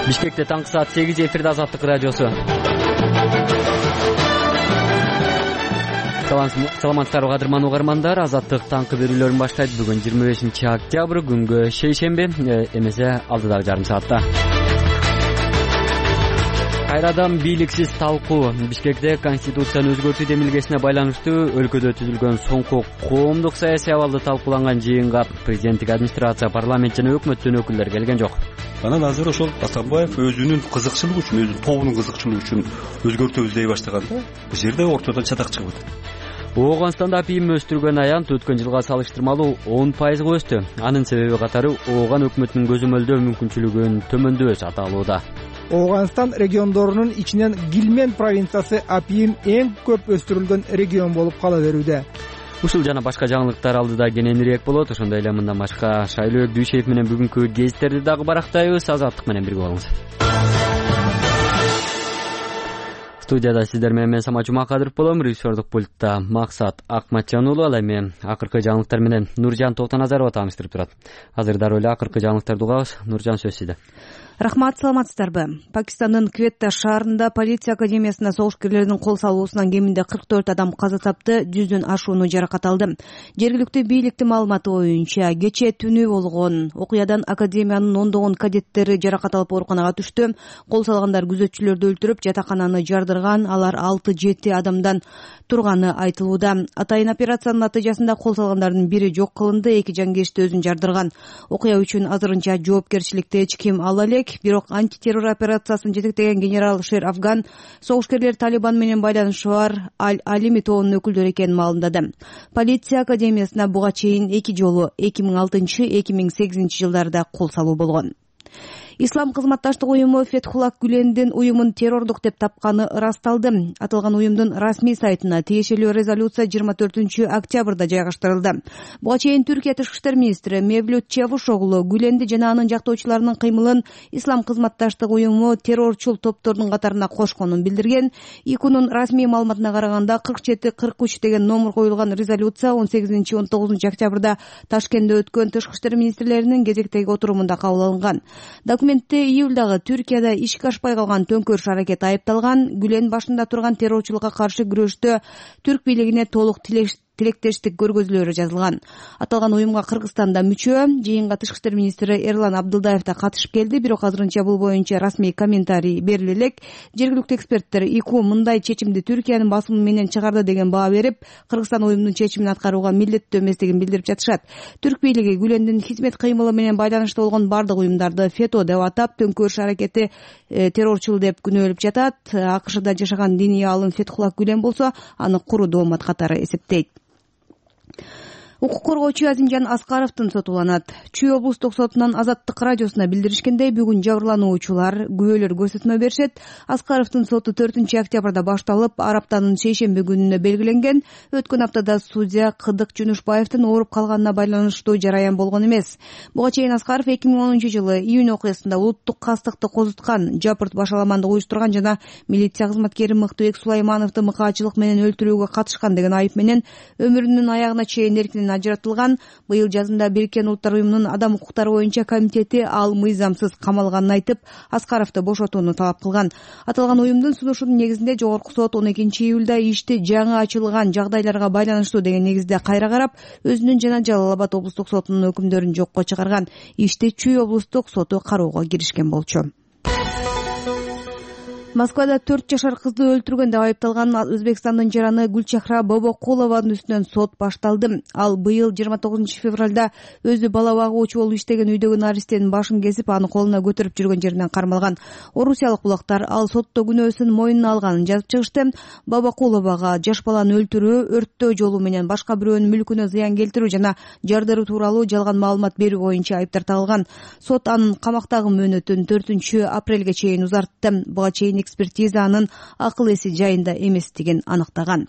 Бишкекте таңкы саат 8 эфирде Азаттык радиосу. Саламатсыздарбы кадырман угармандар. Азаттык таңкы берүүлөрүн баштайт. Бүгүн 25 октябрь күнгө шейшемби, эмесе алдыдагы жарым саатта. Кайрадан бийликсиз талкуу. Бишкекте конституцияны өзгөртүү демилгесине байланыштуу өлкөдө түзүлгөн соңку коомдук саясий абалды талкууланган жыйынга президенттик администрация, парламент жана өкмөттүн өкүлдөрү келген жок. Анан азыр ошол Атамбаев өзүнүн кызыкчылыгы үчүн, өзүнүн тобунун кызыкчылыгы үчүн өзгөртүү издей баштаганда бул жерде ортодон чатак чыгып атат. Ооганстанда апийим өстүргөн аянт өткөн жылга салыштырмалуу 10%га өстү. Анын себеби катары Ооган өкмөтүнүн көзөмөлдөө мүмкүнчүлүгүнүн төмөндөшү аталууда. Ооганстан региондорунун ичинен Гилмен провинциясы апийим эң көп өстүрүлгөн регион болуп кала берүүдө. Ушул жана башка жаңылыктар алдыда кененирээк болот. Ошондой эле мындан башка Шайлообек Дүйшеев менен бүгүнкү гезиттерди дагы барактайбыз. Азаттык менен бирге болуңуз. Студияда сиздер менен мен Самат Жумакадыров болом. Режиссердук пультта Максат Акматжан уулу. Ал эми акыркы жаңылыктар менен Нуржан Токтоназарова тааныштырып турат. Азыр дароо эле акыркы жаңылыктарды угабыз. Нуржан, сөз сизде. Рахмат, саламатсыздарбы? Пакистандын Кветта шаарында полиция академиясына согушкерлердин кол салуусунан кеминде 44 адам каза тапты, 100дөн ашууну жаракат алды. Жергиликтүү бийликтин маалыматы боюнча, кечээ түнү болгон окуядан академиянын ондогон кадеттери жаракат алып ооруканага түштү. Кол салгандар күзөтчүлөрдү өлтүрүп, жатакананы жардырган. Алар 6-7 адамдан турганы айтылууда. Атайын операциянын натыйжасында кол салгандардын бири жок кылынды, 2 жангечти өзүн жардырган. Окуя үчүн азырынча жоопкерчиликти эч ким ала элек. Бирок антитеррор операциясын жетектеген генерал Шер Афган согушкерлер Талибан менен байланышы бар Алими тобунун өкүлдөрү экенин маалымдады. Полиция академиясына буга чейин 2 жолу 2006-2008 жылдарда кол салуу болгон. Ислам кызматташтык уюму Фетхуллах Гүлендин уюмун террордук деп тапканы ырасталды. Аталган уюмдун расмий сайтына тиешелүү резолюция 24 октябрда жайгаштырылды. Буга чейин Түркия тышкы иштер министри Мевлют Чавушоглу Гүленди жана анын жактоочуларынын кыймылын Ислам кызматташтык уюму террорчул топтордун катарына кошконун билдирген. ИКУнун расмий маалыматына караганда 47-43 деген номер коюлган резолюция 18-19 октябрда Ташкентте өткөн тышкы иштер министрлеринин кезектеги отурумунда кабыл алынган. Документте июлдагы Түркияда ишке ашпай калган төңкөрүш аракети айыпталган. Гүлен башында турган террорчулукка каршы күрөштө түрк бийлигине толук тилектештик көргөзүүлөрү жазылган. Аталган уюмга Кыргызстанда мүчө. Жыйынга тышкы иштер министри Эрлан Абдылдаев да катышып келди, бирок азырынча бул боюнча расмий комментарий бериле элек. Жергиликтүү эксперттер ИКУ мындай чечимди Түркиянын басымы менен чыгарды деген баа берип, Кыргызстан уюмдун чечимин аткарууга милдеттүү эместигин билдирип жатышат. Түрк бийлиги Гүлендин хизмет кыймылы менен байланыштуу болгон бардык уюмдарды фето деп атап, төңкөрүш аракети террорчул деп күнөөлөп жатат. АКШда жашаган диний аалым Фетхуллах Гүлен болсо аны куру доомат катары эсептейт. Укук коргоочу Азимжан Аскаровдун соту уланат. Чүй облустук сотунан Азаттык радиосуна билдиришкендей, бүгүн жабырлануучулар күбөлөр көрсөтмө беришет. Аскаровдун соту 4 октябрда башталып, ар аптанын шейшемби күнүнө белгиленген. Өткөн аптада судья Кыдык Жунушбаевдин ооруп калганына байланыштуу жараян болгон эмес. Буга чейин Аскаров 2010 жылы июнь окуясында улуттук кастыкты козуткан, жапырт башаламандык уюштурган жана милиция кызматкери Мыктыбек Сулаймановду мыкаачылык менен өлтүрүүгө катышкан деген айып менен өмүрүнүн аягына чейин эркинен ажыратылган. Быйыл жазында Бириккен Улуттар уюмунун адам укуктары боюнча комитети ал мыйзамсыз камалганын айтып, Аскаровду бошотууну талап кылган. Аталган уюмдун сунушунун негизинде жогорку сот 12 июлда ишти жаңы ачылган жагдайларга байланыштуу деген негизде кайра карап, өзүнүн жана Жалал Абад облустук сотунун өкүмдөрүн жокко чыгарган. Ишти Чүй облустук соту кароого киришкен болчу. Москвада 4 жашар кызды өлтүргөн деп айыпталган Өзбекстандын жараны Гүлчахра Бобокулованын үстүнөн сот башталды. Ал быйыл 29 февралда өзү бала багуучу болуп иштеген үйдөгү наристенин башын кесип, аны колуна көтөрүп жүргөн жеринен кармалган. Орусиялык булактар ал сотто күнөөсүн мойнуна алганын жазып чыгышты. Бобокуловага жаш баланы өлтүрүү, өрттөө жолу менен башка бирөөнүн мүлкүнө зыян келтирүү жана жардыруу тууралуу жалган маалымат берүү боюнча айыптар тагылган. Сот анын камактагы мөөнөтүн 4 апрелге чейин узартты. Буга чейин экспертиза анын акыл эси жайында эместигин аныктаган.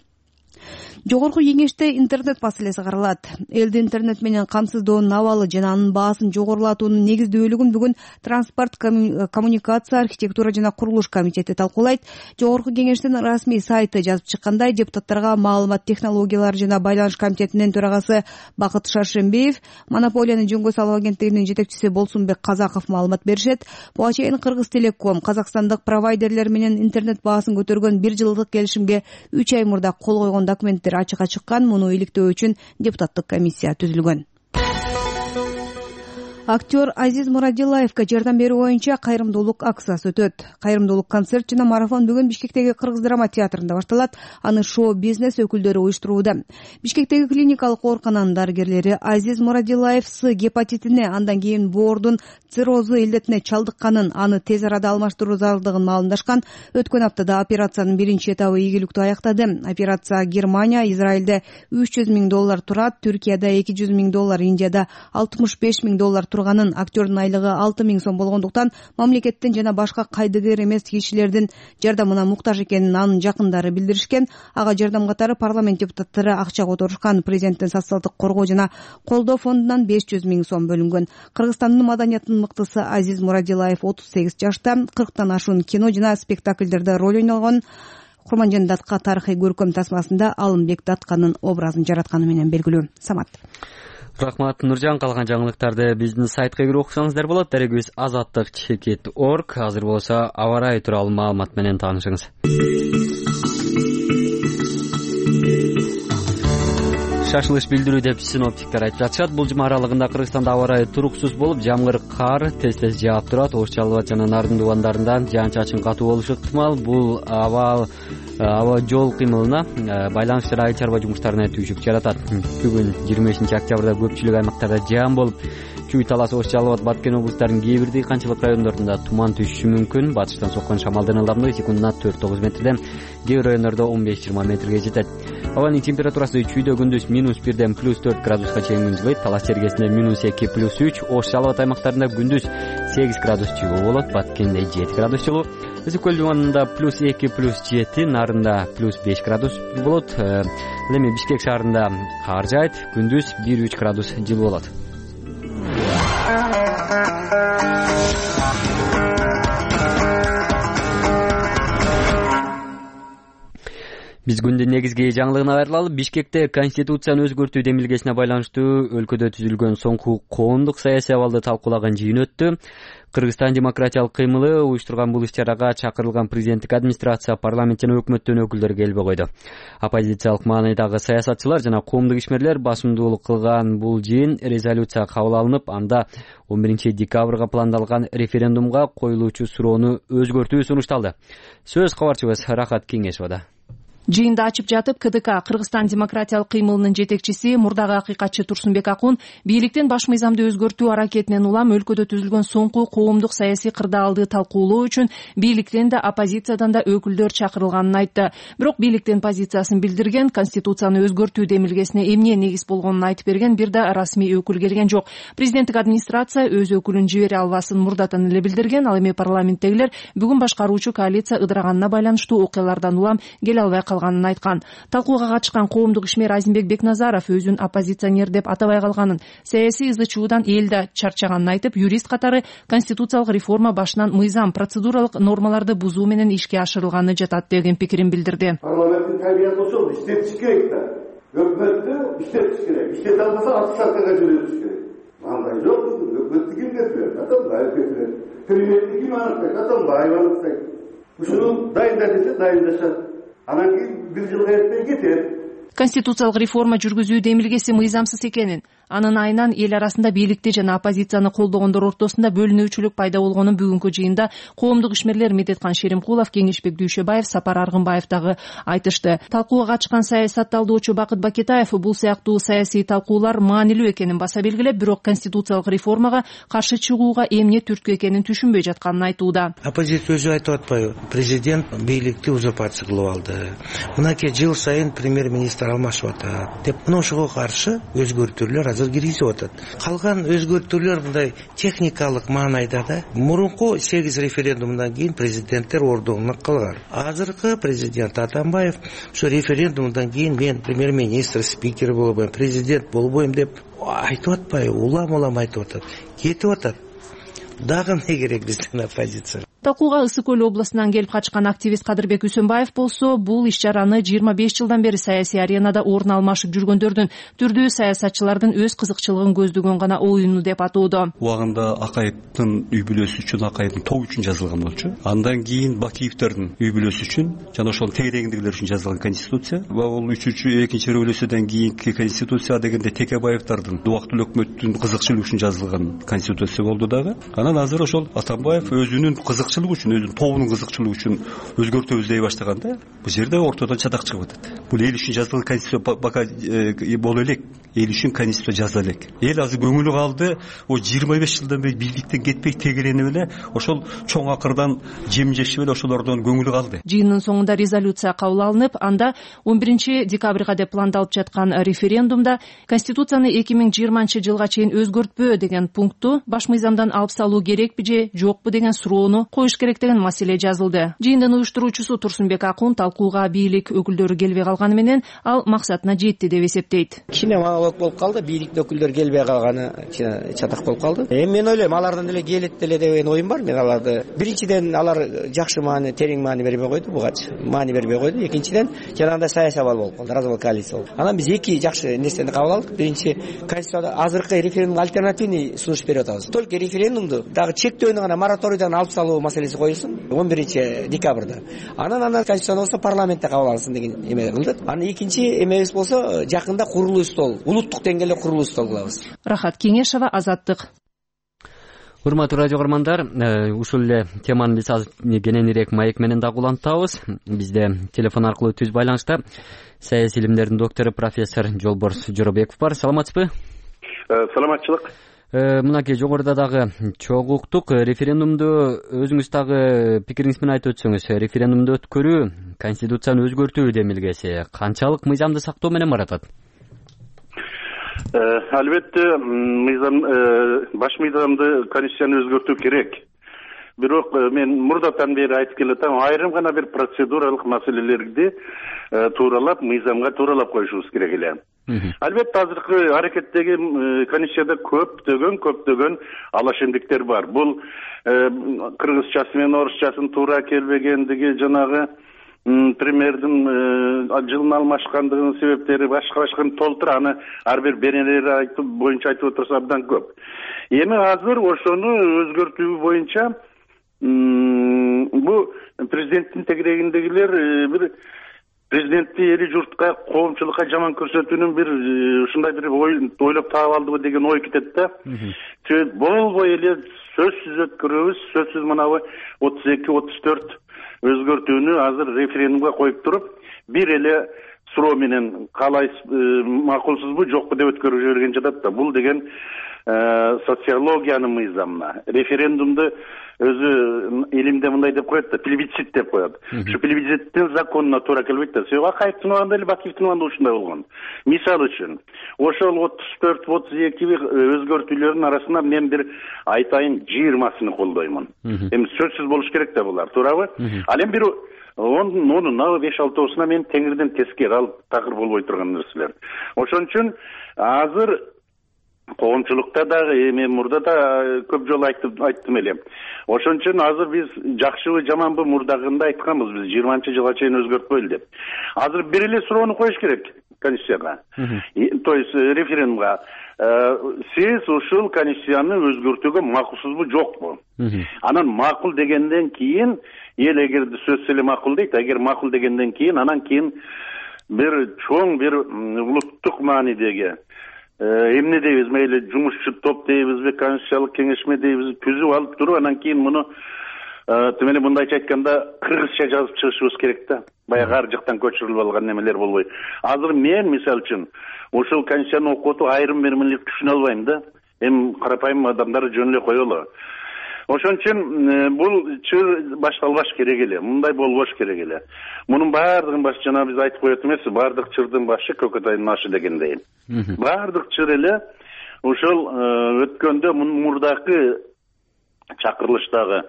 Жогорку кеңеште интернет маселеси каралат. Элди интернет менен камсыздоонун абалы жана анын баасын жогорулатуунун негиздүүлүгүн бүгүн Транспорт, коммуникация, архитектура жана курулуш комитети талкуулайт. Жогорку кеңештин расмий сайты жазып чыккандай, депутаттарга маалымат технологиялары жана байланыш комитетинин төрагасы Бакыт Шаршембиев, монополияны жөнгө салуу агенттигинин жетекчиси Болсунбек Казаков маалымат беришет. Буга чейин Кыргыз Телеком казакстандык провайдерлер менен интернет баасын көтөргөн 1 жылдык келишимге 3 ай мурда кол койгон документтер ачыкка чыккан. Муну иликтөө үчүн депутаттык комиссия түзүлгөн. Актер Азиз Мурадилаевга жардам берүү боюнча кайрымдуулук акциясы өтөт. Кайрымдуулук концерт жана марафон бүгүн Бишкектеги Кыргыз драма театрында башталат. Аны шоу-бизнес өкүлдөрү уюштурууда. Бишкектеги клиникалык оорукананын дарыгерлери Азиз Мурадилаев С гепатитине, андан кийин боордун циррозу илдетине чалдыкканын, аны тез арада алмаштыруу зарылдыгын маалымдашкан. Өткөн аптада операциянын биринчи этабы ийгиликтүү аяктады. Операция Германия, Израилде $300 000 турат, Түркияда $200 000, Индияда $65 000 турганын, актердун айлыгы 6 000 сом болгондуктан мамлекеттин жана башка кайдыгер эмес кишилердин жардамына муктаж экенин анын жакындары билдиришкен. Ага жардам катары парламент депутаттары акча которушкан. Президенттин социалдык коргоо жана колдоо фондунан 500 000 сом бөлүнгөн. Кыргызстандын маданияттын мыктысы Азиз Мурадилаев 38 жашта, 40тан ашуун кино жана спектакльдерде роль ойногон. Курманжан Датка тарыхый көркөм тасмасында Алымбек Датканын образын жаратканы менен белгилүү. Самат. Рахмат Нуржан. Калган жаңылыктарды биздин сайтка кирип окусаңыздар болот. Дарегибиз azattik.org. Азыр болсо аба ырайы тууралуу маалымат менен таанышыңыз. Шашылыш билдирүү деп синоптиктер айтып жатышат. Бул жума аралыгында Кыргызстанда аба ырайы туруксуз болуп, жамгыр, кар тез-тез жаап турат. Ош Жалал жана Нарын дубандарында жаан-чачын катуу болушу ыктымал. Бул аба жол кыймылына, байланыш жана айыл чарба жумуштарына түйшүк жаратат. Бүгүн 25 октябрда көпчүлүк аймактарда жаан болуп, Чүй, Талас, Ош Жалал, Баткен облустарынын кээ бир дыйканчылык райондорунда туман түшүшү мүмкүн. Батыштан соккон шамалдын ылдамдыгы секундуна 4-9 метрден, кээ бир райондордо 15-20 метрге жетет. Абанын температурасы Чүйдө күндүз -1ден +4 градуска чейин жылыйт. Талас чергесинде -2, +3, Ош Жалал аймактарында күндүз 8 градус жылуу болот, Баткенде 7 градус жылуу. Өзү көл дубанында +2, +7, Нарында +5 градус болот. Эми Бишкек шаарында кар жаайт, күндүз 1-3 градус жылуу болот. Биз күндүн негизги жаңылыгына кайрылалы. Бишкекте Конституцияны өзгөртүү демилгесине байланыштуу өлкөдө түзүлгөн соңку коомдук саясий абалды талкуулаган жыйын өттү. Кыргызстан демократиялык кыймылы уюштурган бул иш-чарага чакырылган президенттик администрация, парламент жана өкмөттүн өкүлдөрү келбей койду. Оппозициялык маанайдагы саясатчылар жана коомдук ишмерлер басымдуулук кылган бул жыйын резолюция кабыл алынып, анда 11 декабрга пландалган референдумга коюлуучу суроону өзгөртүү сунушталды. Сөз кабарчыбыз Рахат Кеңешовада. Жыйында ачып жатып, КДК Кыргызстан демократиялык кыймылынын жетекчиси, мурдагы акыйкатчы Турсунбек Акун бийликтин баш мыйзамды өзгөртүү аракетинен улам өлкөдө түзүлгөн соңку коомдук саясий кырдаалды талкуулоо үчүн бийликтен да оппозициядан да өкүлдөр чакырылганын айтты. Бирок бийликтин позициясын билдирген, Конституцияны өзгөртүү демилгесине эмне негиз болгонун айтып берген бир да расмий өкүл келген жок. Президенттик администрация өз өкүлүн жибере албасын мурдатан эле билдирген. Ал эми парламенттегилер бүгүн башкаруучу коалиция ыдыраганына байланыштуу окуялардан улам келе албай калганын айткан. Талкууга катышкан коомдук ишмер Азимбек Бекназаров өзүн оппозиционер деп атабай калганын, саясий ызы чуудан эл да чарчаганын айтып, юрист катары конституциялык реформа башынан мыйзам, процедуралык нормаларды бузуу менен ишке ашырылганы жатат деген пикирин билдирди. Парламенттин табияты ошол, иштетиш керек да. Өкмөттү иштетиш керек. Иштете албаса отставкага жибериш керек. Андай жок, өкмөттү ким кетирет? Атамбаев кетирет. Премьерди ким аныктайт? Атамбаев аныктайт. Ушуну дайында десе дайындашат. Анан кийин бир жылга эртең кетет. Конституциялык реформа жүргүзүү демилгеси мыйзамсыз экенин, анын айынан эл арасында бийликти жана оппозицияны колдогондор ортосунда бөлүнүүчүлүк пайда болгонун бүгүнкү жыйында коомдук ишмерлер Медеткан Шеримкулов, Кеңешбек Дүйшөбаев, Сапар Аргынбаев дагы айтышты. Талкууга катышкан саясат талдоочу Бакыт Бакетаев бул сыяктуу саясий талкуулар маанилүү экенин баса белгилеп, бирок конституциялык реформага каршы чыгууга эмне түрткү экенин түшүнбөй жатканын айтууда. Оппозиция өзү айтып атпайбы? Президент бийликти узурпация кылып алды. Мынакей жыл сайын премьер-министр алмашып атат деп. Мына ошого каршы өзгөртүүлөр азыр киргизип атат. Калган өзгөртүүлөр мындай техникалык маанайда да мурунку 8 референдумдан кийин президенттер ордуна калган. Азыркы президент Атамбаев ошо референдумдан кийин мен премьер-министр, спикер болбойм, президент болбойм деп айтып атпайбы, улам айтып атат. Кетип атат. Дагы эмне керек биздин оппозиция? Талкууга Ысык Көл областынан келип качкан активист Кадырбек Үсөнбаев болсо, бул иш-чараны 25 жылдан бери саясий аренада орун алмашып жүргөндөрдүн, түрдүү саясатчылардын өз кызыкчылыгын көздөгөн гана оюну деп атоодо. Убагында Акаевдин үй бүлөсү үчүн, Акаевдин тобу үчүн жазылган болчу. Андан кийин Бакиевдердин үй бүлөсү үчүн жана ошол тегерегиндегилер үчүн жазылган конституция. Бул экинчи революциядан кийинки конституция дегенде Текебаевдардын, убактылуу өкмөттүн кызыкчылыгы үчүн жазылган конституция болду дагы. Анан азыр ошол Атамбаев өзүнүн кызыкчылыгы үчүн, өзүнүн тобунун кызыкчылыгы үчүн өзгөртөбүз дей баштаганда, бул жерде ортодон чатак чыгып атат. Бул эл үчүн жазылган конституция бака боло элек, эл үчүн конституция жазыла элек. Эл азыр көңүлү калды, 25 жылдан бери бийликтен кетпей тегеренип эле ошол чоң акырдан жем жешип эле ошолордон көңүлү калды. Жыйындын соңунда резолюция кабыл алынып, анда 11 декабрга деп пландалып жаткан референдумда конституцияны 2020 жылга чейин өзгөртпөө деген пунктту баш мыйзамдан алып салуу керекпи же жокпу деген суроону коюш керек деген маселе жазылды. Жыйындын уюштуруучусу Турсунбек Акун талкууга бийлик өкүлдөрү келбей калганы менен ал максатына жетти деп эсептейт. Кичине монолог болуп калды, бийликтин өкүлдөрү келбей калганы чатак болуп калды. Мен ойлойм, алардан деле келет деле деген оюм бар. Мен аларды биринчиден алар жакшы маани, терең маани бербей койду, бугачы маани бербей койду. Экинчиден жанагындай саясий абал болуп калды, развал коалиция болду. Анан биз эки жакшы нерсени кабыл алдык. Биринчи, конституцияда азыркы референдумга альтернативный сунуш берип атабыз. Только референдумду дагы чектөөнү гана мораторийден алып салуу маселеси коюлсун 11 декабрда. Анан конституция болсо парламентте кабыл алынсын деген эме кылдык. Анан экинчи эмебиз болсо жакында курулуу стол, улуттук деңгээлде курулуу стол кылабыз. Рахат Кеңешова, Азаттык. Урматтуу радио көрөрмандар, ушул эле теманы биз азыр кененирээк маек менен дагы улантабыз. Бизде телефон аркылуу түз байланышта саясий илимдердин доктору профессор Жолборс Жоробеков бар. Саламатсызбы? Саламатчылык. Мынакей жогоруда дагы чогуу уктук. Референдумду өзүңүз дагы пикириңиз менен айтып өтсөңүз, референдумду өткөрүү конституцияны өзгөртүү демилгеси канчалык мыйзамды сактоо менен баратат? Албетте, баш мыйзамды, конституцияны өзгөртүү керек. Бирок мен мурдатан бери айтып келатам, айрым гана бир процедуралык маселелерди тууралап, мыйзамга тууралап коюшубуз керек эле. Албетте, азыркы аракеттеги конституцияда көптөгөн алашендиктер бар. Бул кыргызчасы менен орусчасын туура келбегендиги, жанагы премьердин жылын алмашкандыгынын себептери башка толтура, аны ар бир беренелер боюнча айтып отурса абдан көп. Эми азыр ошону өзгөртүү боюнча бул президенттин тегерегиндегилер бир президентти эли журтка, коомчулукка жаман көрсөтүүнүн бир ушундай бир ойлоп таап алдыбы деген ой кетет да. Болбой эле сөзсүз өткөрөбүз, сөзсүз мынабы 32-34 өзгөртүүнү азыр референдумга коюп туруп, бир эле суроо менен каалайсыз, макулсузбу, жокпу деп өткөрүп жиберген жатат да. Бул деген социологиянын мыйзамына. Референдумду өзү илимде мындай деп коет да, плебисцит деп коет. Ушу плебисциттин законуна туура келбейт да. Себеби Акаевдин убагында эле Бакиевдин убагында ушундай болгон. Мисал үчүн, ошол 34-32 өзгөртүүлөрдүн арасында мен бир айтайын 20-сыны колдоймун. Эми сөзсүз болуш керек да булар, туурабы? Ал эми бир онун 5-6-сына мен теңирден теске калып такыр болбой турган нерселер. Ошон үчүн азыр коомчулукта дагы эми мурда да көп жолу айттым эле. Ошон үчүн азыр биз жакшыбы жаманбы мурдагында айтканбыз, биз 20 жылга чейин өзгөртпөйлү деп. Азыр бир эле суроону коюш керек конституцияга. То есть референдумга. Сиз ушул конституцияны өзгөртүүгө макулсузбу, жокпу? Анан макул дегенден кийин, эл эгерде сөзсүз эле макул дейт, эгер макул дегенден кийин, анан кийин бир чоң бир улуттук маанидеги эмне дейбиз, мейли жумушчу топ дейбизби, конституциялык кеңешме дейбиз, түзүп алып туруп, анан кийин муну тимени мындайча айтканда кыргызча жазып чыгышыбыз керек да. Баягы ар жактан көчүрүлүп алган немелер болбой. Азыр мен мисалы үчүн ошол конституцияны окуп отуп айрым бир түшүнө албайм да. Эми карапайым адамдар жөн эле коелу. Ошон үчүн бул чыр башталбаш керек эле, мындай болбош керек эле. Мунун баардыгын башы жана биз айтып коет эмеспи, баардык чырдын башы көкөтайдын ашы дегендей. Баардык чыр эле ошол өткөндө мурдакы чакырылыштагы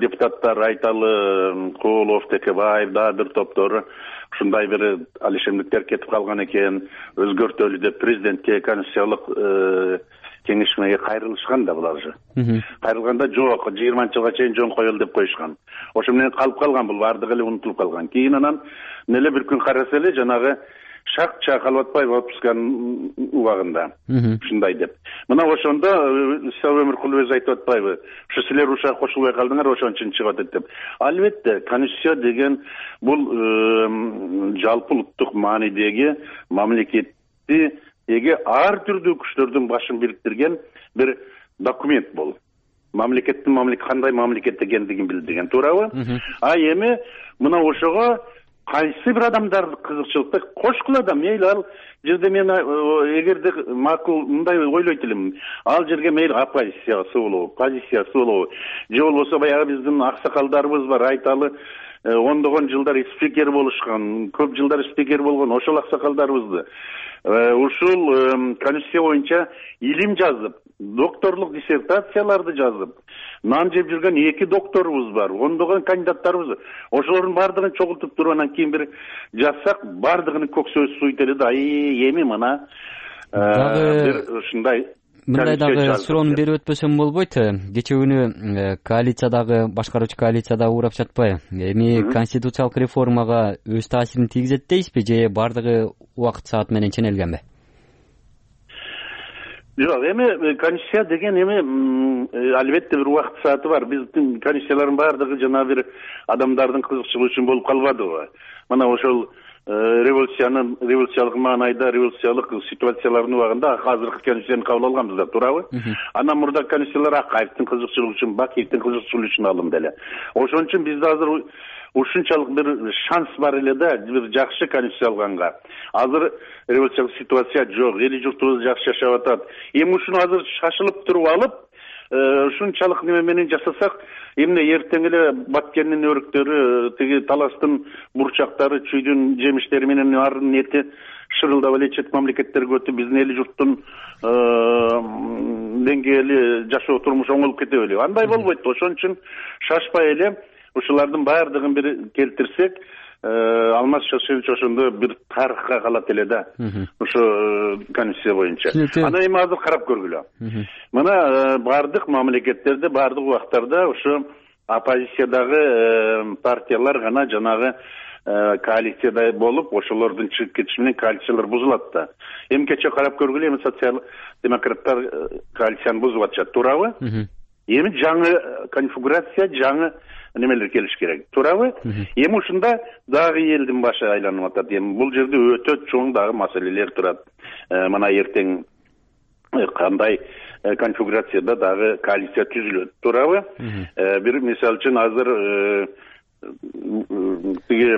депутаттар Айталы, Коолов, Текебаев, дагы бир топтору ушундай бир алишемдиктер кетип калган экен, өзгөртөлү деп президентке, конституциялык кеңешмеге кайрылышкан да булар же. Кайрылганда жок, 20-жылга чейин жөн коелу деп коюшкан. Ошо менен калып калган, бул бардыгы эле унутулуп калган. Кийин анан эле бир күн караса эле жанагы Шакча Калбатбаев отпускан убагында ушундай деп. Мына ошондо Исабек Өмүркулов өзү айтып атпайбы? Ушу силер ушуга кошулбай калдыңар, ошон үчүн чыгып атат деп. Албетте, конституция деген бул жалпы улуттук маанидеги мамлекеттиги ар түрдүү күчтөрдүн башын бириктирген бир документ бул. Мамлекеттин кандай мамлекет экендигин билдирген, туурабы? А эми мына ошого кайсы бир адамдар кызыкчылыкты кошкула да, мейли ал жерде мен эгерде макул мындай ойлойт элем, ал жерге мейли оппозициясы болобу, позициясы болобу, же болбосо баягы биздин аксакалдарыбыз бар, Айталы ондогон жылдар спикер болушкан, көп жылдар спикер болгон ошол аксакалдарыбызды ушул конституция боюнча илим жазып, докторлук диссертацияларды жазып, нан жеп жүргөн 2 докторубуз бар, ондогон кандидаттарыбыз. Ошолордун бардыгын чогултуп туруп анан кийин бир жазсак, бардыгынын көксөзү суйт эле да, эми мына бир ушундай мындай дагы суроону берип өтпөсөм болбойт. Кече күнү коалициядагы, башкаруучу коалициядагы урап жатпайбы? Эми конституциялык реформага өз таасирин тийгизет дейсизби, же бардыгы убакыт саат менен ченелгенби? Жок, эми конституция деген эми албетте бир убакыт сааты бар. Биздин конституциялардын бардыгы жана бир адамдардын кызыкчылыгы үчүн болуп калбадыбы? Мына ошол революциялык маанайда, революциялык ситуациялардын убагында азыркы конституцияны кабыл алганбыз да, туурабы? Анан мурдагы конституциялар Акаевдин кызыкчылыгы үчүн, Бакиевдин кызыкчылыгы үчүн алынды эле. Ошон үчүн бизде азыр ушунчалык бир шанс бар эле да, бир жакшы конституция алганга. Азыр революциялык ситуация жок, эли журтубуз жакшы жашап атат. Эми ушуну азыр шашылып туруп алып, ушунчалык неме менен жасасак, эмне эртең эле Баткендин өрүктөрү, тиги таластын бурчактары, чүйдүн жемиштери менен ардын эти шырылдап эле чет мамлекеттерге өтүп, биздин эли журттун деңгээли жашоо турмушу оңолуп кете белеби? Андай болбойт. Ошон үчүн шашпай эле ушулардын баардыгын бир келтирсек, Алмаз Шашевич ошондо бир тарыхка калат эле да, ошо конституция боюнча. Аны эми азыр карап көргүлө. Мына бардык мамлекеттерде, бардык убактарда ошо оппозициядагы партиялар гана жанагы коалицияда болуп, ошолордун чыгып кетиши менен коалициялар бузулат да. Эми кече карап көргүлө, эми социал-демократтар коалицияны бузуп атышат, туурабы? Эми жаңы конфигурация, жаңы немелер келиш керек, туурабы? Эми ушунда дагы элдин башы айланып атат. Эми бул жерде өтө чоң дагы маселелер турат. Мына эртең кандай конфигурацияда дагы коалиция түзүлөт, туурабы? Бир мисал үчүн азыр тиги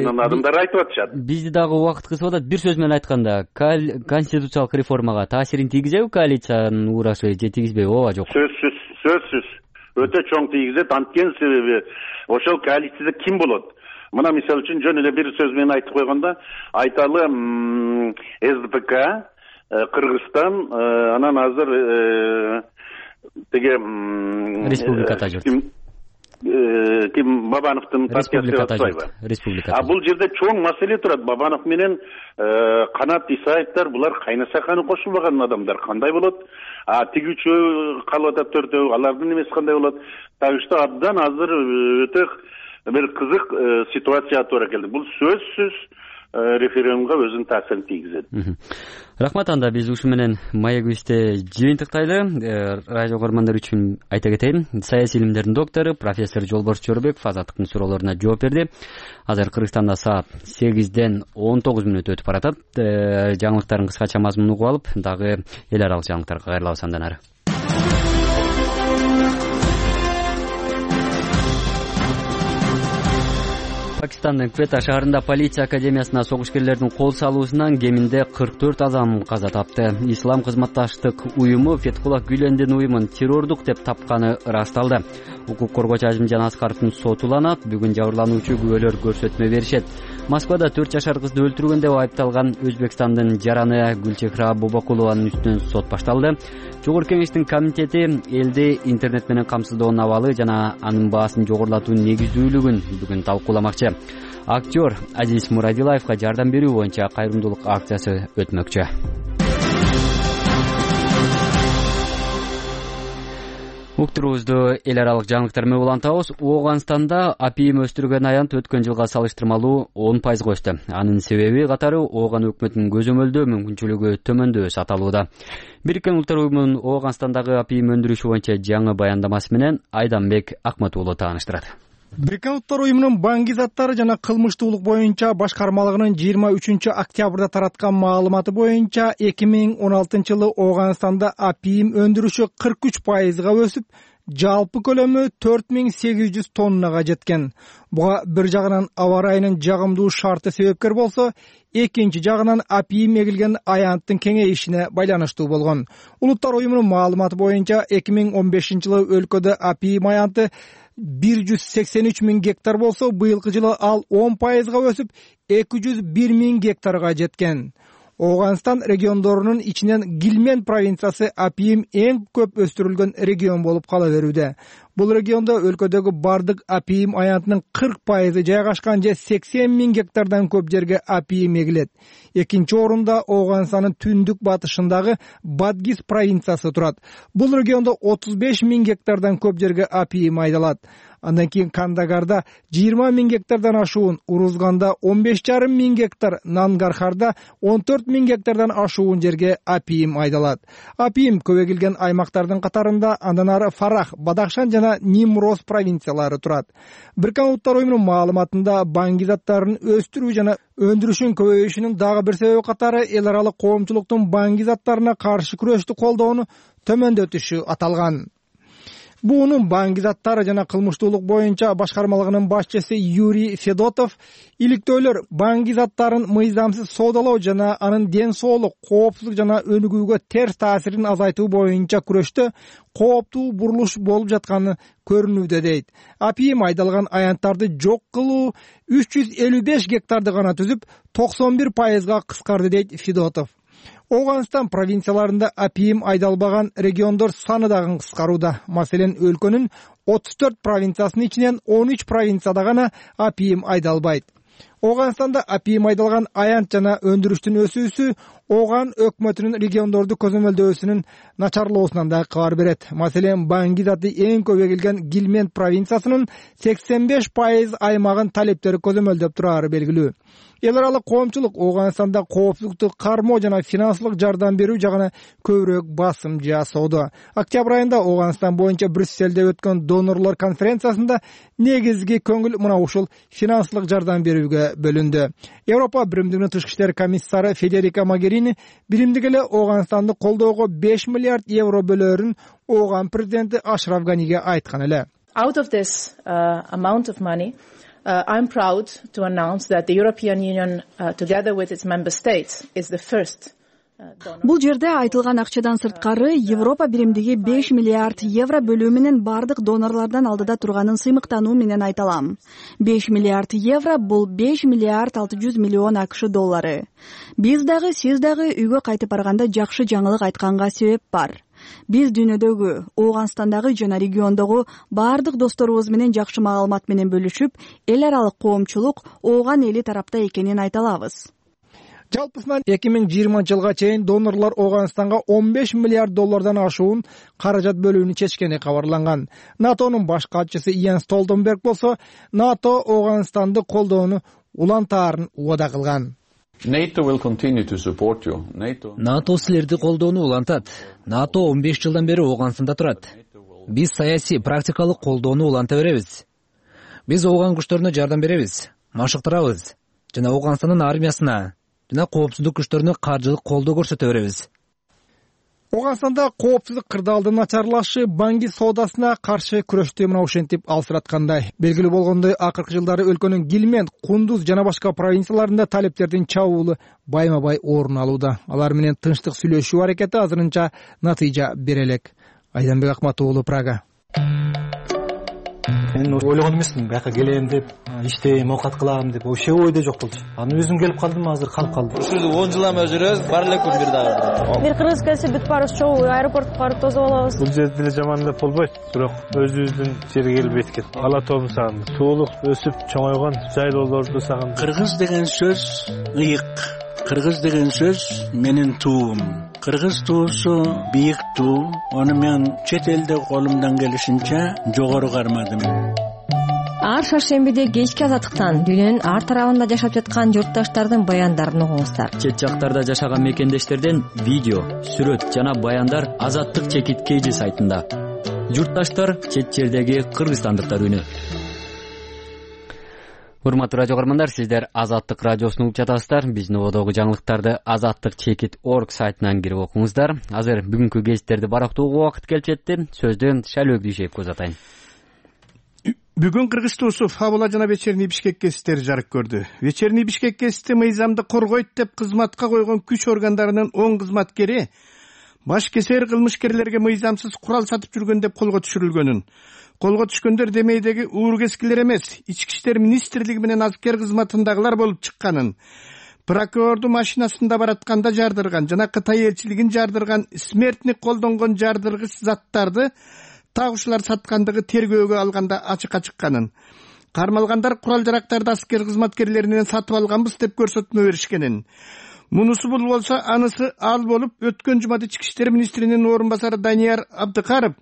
адамдар айтып атышат. Бизди дагы убакыт кысып атат. Бир сөз менен айтканда, конституциялык реформага таасирин тийгизеби коалициянын урашы, же тийгизбейби, ооба жок? Сөзсүз өтө чоң тийгизет. Анткени себеби ошол коалицияда ким болот? Мына мисал үчүн жөн эле бир сөз менен айтып койгондо, Айталы СДПК, Кыргызстан, анан азыр тиги республикада жүрөт. Ким Бабановдун партиясы атпайбы? Республика. Бул жерде чоң маселе турат. Бабанов менен Канат Исаевдер, булар кайнаса-кайны кошулбаган адамдар кандай болот? Тиги үчөө калып атат, төртөө, алардын эмеси кандай болот? Так что абдан азыр өтө бир кызык ситуация туура келди. Бул сөзсүз референдумга өзүнүн таасирин тийгизет. Рахмат. Анда биз ушу менен маегибизди жыйынтыктайлы. Радио көрөрмандар үчүн айта кетейин, саясий илимдердин доктору профессор Жолборс Жорбеков Азаттыктын суроолоруна жооп берди. Азыр Кыргызстанда саат 8-ден 19 мүнөт өтүп баратат. Жаңылыктардын кыскача мазмунун угуп алып, дагы эл аралык жаңылыктарга кайрылабыз андан ары. Пакистандын Квета шаарында полиция академиясына согушкерлердин кол салуусунан кеминде 44 адам каза тапты. Ислам кызматташтык уюму Фетхуллах Гүлендин уюмун террордук деп тапканы ырасталды. Укук коргоочу Азимжан Аскаровдун соту уланат. Бүгүн жабырлануучу күбөлөр көрсөтмө беришет. Москвада 4 жашар кызды өлтүргөн деп айыпталган Өзбекстандын жараны Гүлчехра Бобокулованын үстүнөн сот башталды. Жогорку кеңештин комитети элди интернет менен камсыздоонун абалы жана анын баасын жогорулатуунун негиздүүлүгүн бүгүн талкууламакчы. Актер Азиз Мурадилаевга жардам берүү боюнча кайрымдуулук акциясы өтмөкчү. Уктурубузду эл аралык жаңылыктар менен улантабыз. Ооганстанда апийим өстүргөн аянт өткөн жылга салыштырмалуу 10% өстү. Анын себеби катары Ооган өкмөтүнүн көзөмөлдөө мүмкүнчүлүгү төмөндөшү аталууда. Бириккен Улуттар Уюмунун Ооганстандагы апийим өндүрүшү боюнча жаңы баяндамасы менен Айданбек Акмат уулу тааныштырат. Бириккен Улуттар Уюмунун баңги заттары жана кылмыштуулук боюнча башкармалыгынын 23-октябрда тараткан маалыматы боюнча 2016-жылы Ооганстанда апийим өндүрүшү 43%га өсүп, жалпы көлөмү 4800 тоннага жеткен. Буга бир жагынан аба ырайынын жагымдуу шарты себепкер болсо, экинчи жагынан апийим эгилген аянттын кеңейишине байланыштуу болгон. Улуттар Уюмунун маалыматы боюнча 2015-жылы өлкөдө апийим аянты 183 000 гектар болсо, быйылкы жылы ал 10%га өсүп 201 000 гектарга жеткен. Ооганстан региондорунун ичинен Гилмен провинциясы апийим эң көп өстүрүлгөн регион болуп кала берүүдө. Бул региондо өлкөдөгү бардык апийим аянтынын 40% жайгашкан же 80 000 гектардан көп жерге апийим эгилет. Экинчи орунда Ооганстандын түндүк батышындагы Бадгис провинциясы турат. Бул региондо 35 000 гектардан көп жерге апийим айдалат. Андан кийин Кандагарда 20 000 гектардан ашуун, Урузганда 15,5 000 гектар, Нангархарда 14 000 гектардан ашуун жерге апийим айдалат. Апийим көп эгилген аймактардын катарында андан ары Фарах, Бадахшан жана Нимроз провинциялары турат. Бириккен Улуттар Уюмунун маалыматында баңги заттарын өстүрүү жана өндүрүшүн көбөйүшүнүн дагы бир себеби катары эл аралык коомчулуктун баңги заттарына каршы күрөштү колдоону төмөндөтүшү аталган. Буунун баңги заттары жана кылмыштуулук боюнча башкармалыгынын башчысы Юрий Федотов иликтөөлөр баңги заттарын мыйзамсыз соодалоо жана анын ден соолук, коопсуздук жана өнүгүүгө терс таасирин азайтуу боюнча күрөштө кооптуу бурулуш болуп жатканы көрүнүүдө дейт. Апийим айдалган аянттарды жок кылуу 355 гектарды гана түзүп, 91%га кыскарды дейт Федотов. Ооганстан провинцияларында апийим айдалбаган региондор саны дагы кыскарууда. Маселен, өлкөнүн 34 провинциясынын ичинен 13 провинцияда гана апийим айдалбайт. Ооганстанда апийим айдалган аянт жана өндүрүштүн өсүүсү Ооган өкмөтүнүн региондорду көзөмөлдөөсүнүн начарлоосунан да кабар берет. Маселен, баңги заты эң көп эгилген Гилмен провинциясынын 85% аймагын талептери көзөмөлдөп турары белгилүү. Эл аралык коомчулук Ооганстанда коопсуздукту кармоо жана финансылык жардам берүү жагына көбүрөөк басым жасоодо. Октябрь айында Ооганстан боюнча Брюсселде өткөн донорлор конференциясында негизги көңүл мына ушул финансылык жардам берүүгө бөлүндү. Европа Биримдигинин тышкы иштер комиссары Федерика Могерини биримдик эле Ооганстанды колдоого 5 миллиард евро бөлөөрүн Ооган президенти Ашраф Ганиге айткан эле. Out of this amount of money, I'm proud to announce that the European Union, together with its member states, is the first. Бул жерде айтылган акчадан сырткары Европа биримдиги 5 миллиард евро бөлүү менен бардык донорлордон алдыда турганын сыймыктануу менен айта алам. 5 миллиард евро бул 5 миллиард 600 миллион АКШ доллары. Биз дагы, сиз дагы үйгө кайтып барганда жакшы жаңылык айтканга себеп бар. Биз дүйнөдөгү, Ооганстандагы жана региондогу бардык досторубуз менен жакшы маалымат менен бөлүшүп, эл аралык коомчулук Ооган эли тарапта экенин айта алабыз. Жалпысынан 2020-жылга чейин донорлор Ооганстанга 15 миллиард доллардан ашуун каражат бөлүүнү чечкени кабарланган. НАТОнун баш катчысы Йенс Столтенберг болсо, НАТО Ооганстанды колдоону улантаарын убада кылган. NATO will continue to support you. НАТО силерди колдоону улантат. НАТО 15 жылдан бери Ооганстанда турат. Биз саясий, практикалык колдоону уланта беребиз. Биз Ооган күчтөрүнө жардам беребиз, машыктырабыз жана Ооганстандын армиясына жана коопсуздук күчтөрүнө каржылык колдоо көрсөтө беребиз. Ооганстанда коопсуздук кырдаалдын начарлашы банги соодасына каршы күрөштү мына ушинтип алсыраткандай. Белгилүү болгондой, акыркы жылдары өлкөнүн Гилмен, Кундуз жана башка провинцияларында талептердин чабуулу байма-бай орун алууда. Алар менен тынчтык сүйлөшүү аракети азырынча натыйжа бере элек. Айданбек Акматов уулу, Прага. Мен ойлогон эмесмин бияка келем деп, иштейм, оокат кылам деп, вообще ойдо жок болчу. Анан өзүм келип калдым, азыр калып калдым. Ушул 10 жыл эме жүрөбүз, бар эле күн бир дагы. Бир кыргыз келсе бүт баарыбыз чогуу аэропортко барып тосуп алабыз. Бул жерде деле жаман деп болбойт, бирок өзүбүздүн жерге келип эткет. Ала тоом сагындым. Суулук өсүп чоңойгон жайлоолорду сагындым. Кыргыз деген сөз ыйык. Кыргыз деген сөз менин туум. Кыргыз туусу бийик туу. Аны мен чет элде колумдан келишинче жогору кармадым. Ар шаршембиде кечки азаттыктан дүйнөнүн ар тарабында жашап жаткан журтташтардын баяндарын угуңуздар. Чет жактарда жашаган мекендештерден видео, сүрөт жана баяндар Азаттык чекит KG сайтында. Журтташтар чет жердеги кыргызстандыктар үнү. Урматтуу радио көрөрмандар, сиздер Азаттык радиосун угуп жатасыздар. Биздин ободогу жаңылыктарды azattikchekit.org сайтынан кирип окуңуздар. Азыр бүгүнкү гезиттерди барактоого убакыт келип жетти. Сөздөн Шалөк Дүйшеевге узатайын. Бүгүн Кыргыз туусу Фабула жана Вечерний Бишкек гезиттери жарык көрдү. Вечерний Бишкек гезити мыйзамды коргойт деп кызматка койгон күч органдарынын 10 кызматкери баш кесер кылмышкерлерге мыйзамсыз курал сатып жүргөн деп колго түшүрүлгөнүн, колго түшкөндөр демейдеги уургескилер эмес, Ички иштер министрлиги менен аскер кызматындагылар болуп чыкканын, прокурорду машинасында баратканда жардырган жана Кытай элчилигин жардырган смертник колдонгон жардыргыч заттарды так ушулар саткандыгы тергөөгө алганда ачыкка чыкканын, кармалгандар курал жарактарды аскер кызматкерлеринен сатып алганбыз деп көрсөтмө беришкенин, мунусу бул болсо анысы ал болуп, өткөн жумада Ички иштер министринин орун басары Данияр Абдыкаров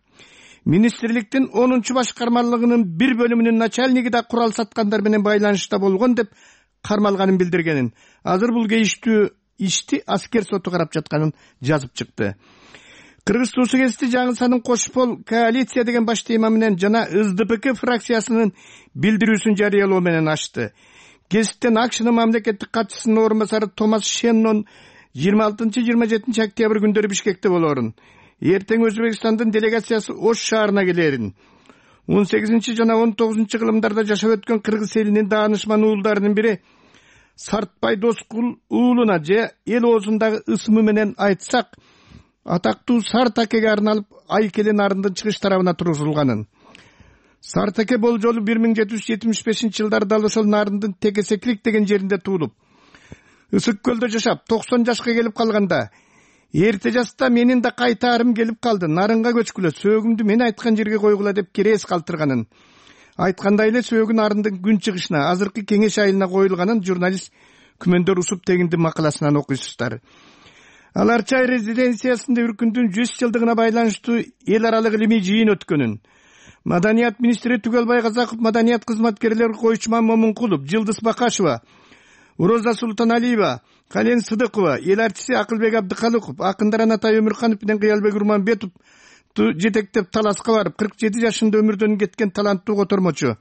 министрликтин 10-чу башкармалыгынын бир бөлүмүнүн начальниги да курал саткандар менен байланышта болгон деп кармалганын билдиргенин. Азыр бул кейиштүү ишти аскер соту карап жатканын жазып чыкты. Кыргыз туусу гезити жаңылсанын Кошпол коалиция деген баш тема менен жана СДПК фракциясынын билдирүүсүн жарыялоо менен ачты. Гезиттен Акшынын мамлекеттик катчысынын орун басары Томас Шеннон 26-27 октябрь күндөрү Бишкекте болорун. Эртең Өзбекстандын делегациясы Ош шаарына келерин. 18 жана 19 кылымдарда жашап өткөн кыргыз элинин даанышман уулдарынын бири Сартбай Доскул уулуна же эл оозундагы ысымы менен айтсак, атактуу Сартакеге арналып Айкелен нарындын чыгыш тарабына тургузулганын. Сартаке болжолу 1775 жылдары дал ошол нарындын Текесеклик деген жеринде туулуп, Ысык көлдө жашап 90 жашка келип калганда, эрте жашта менин да кайтаарым келип калды, нарынга көчкүлө, сөөгүмдү мен айткан жерге койгула деп керес калтырганын. Айткандай эле сөөгү нарындын күн чыгышына, азыркы Кеңеш айылына коюлганын журналист Күмөндөр Усуп тегиндин макаласынан окуйсуздар. Алар Чай резиденциясында Үркүндүн 100 жылдыгына байланыштуу эл аралык илимий жыйын өткөнүн. Маданият министри Түгөлбай Казаков, маданият кызматкерлери Койчуман Момункулов, Жылдыз Бакашева, Роза Султаналиева, Кален Сыдыкова, эл артиси Акылбек Абдыкалыков, акындар Анатай Өмүрканов менен Кыялбек Урманбетов жетектеп таласка барып, 47 жашында өмүрдөн кеткен таланттуу котормочу,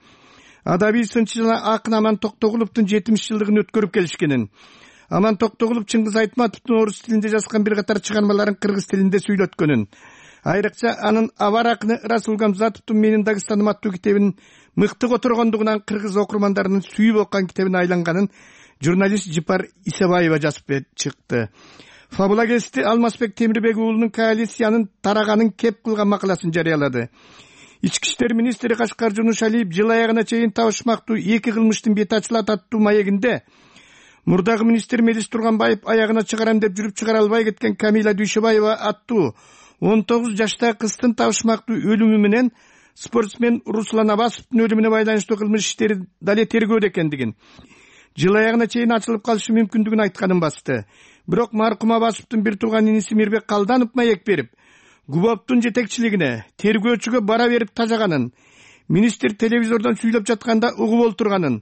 адабий сынчы жана акын Аман Токтогуловдун 70 жылдыгын өткөрүп келишкенин, Аман Токтогулов Чыңгыз Айтматовдун орус тилинде жазган бир катар чыгармаларын кыргыз тилинде сүйлөткөнүн, айрыкча анын Авар акыны Расул Гамзатовдун Менин Дагыстаным аттуу китебинин мыкты которгондугунан кыргыз окурмандарынын сүйүп окуган китебине айланганын журналист Жипар Исабаева жазып чыкты. Фабула гезити Алмазбек Темирбек уулунун коалициянын тараганын кеп кылган макаласын жарыялады. Ички иштер министри Кашкар Жунушалиев жыл аягына чейин табышмактуу 2 кылмыштын бети ачылат аттуу маегинде мурдагы министр Мелис Турганбаев аягына чыгарам деп жүрүп чыгара албай кеткен Камила Дүйшөбаева аттуу 19 жаштагы кыздын табышмактуу өлүмү менен спортсмен Руслан Абасовдун өлүмүнө байланыштуу кылмыш иштери дале тергөөдө экендигин, жыл аягына чейин ачылып калышы мүмкүндүгүн айтканын басты. Бирок маркум Абасовдун бир тууган иниси Мирбек Калданов маек берип, ГУБОПтун жетекчилигине тергөөчүгө бара берип тажаганын, министр телевизордон сүйлөп жатканда угуп олтурганын,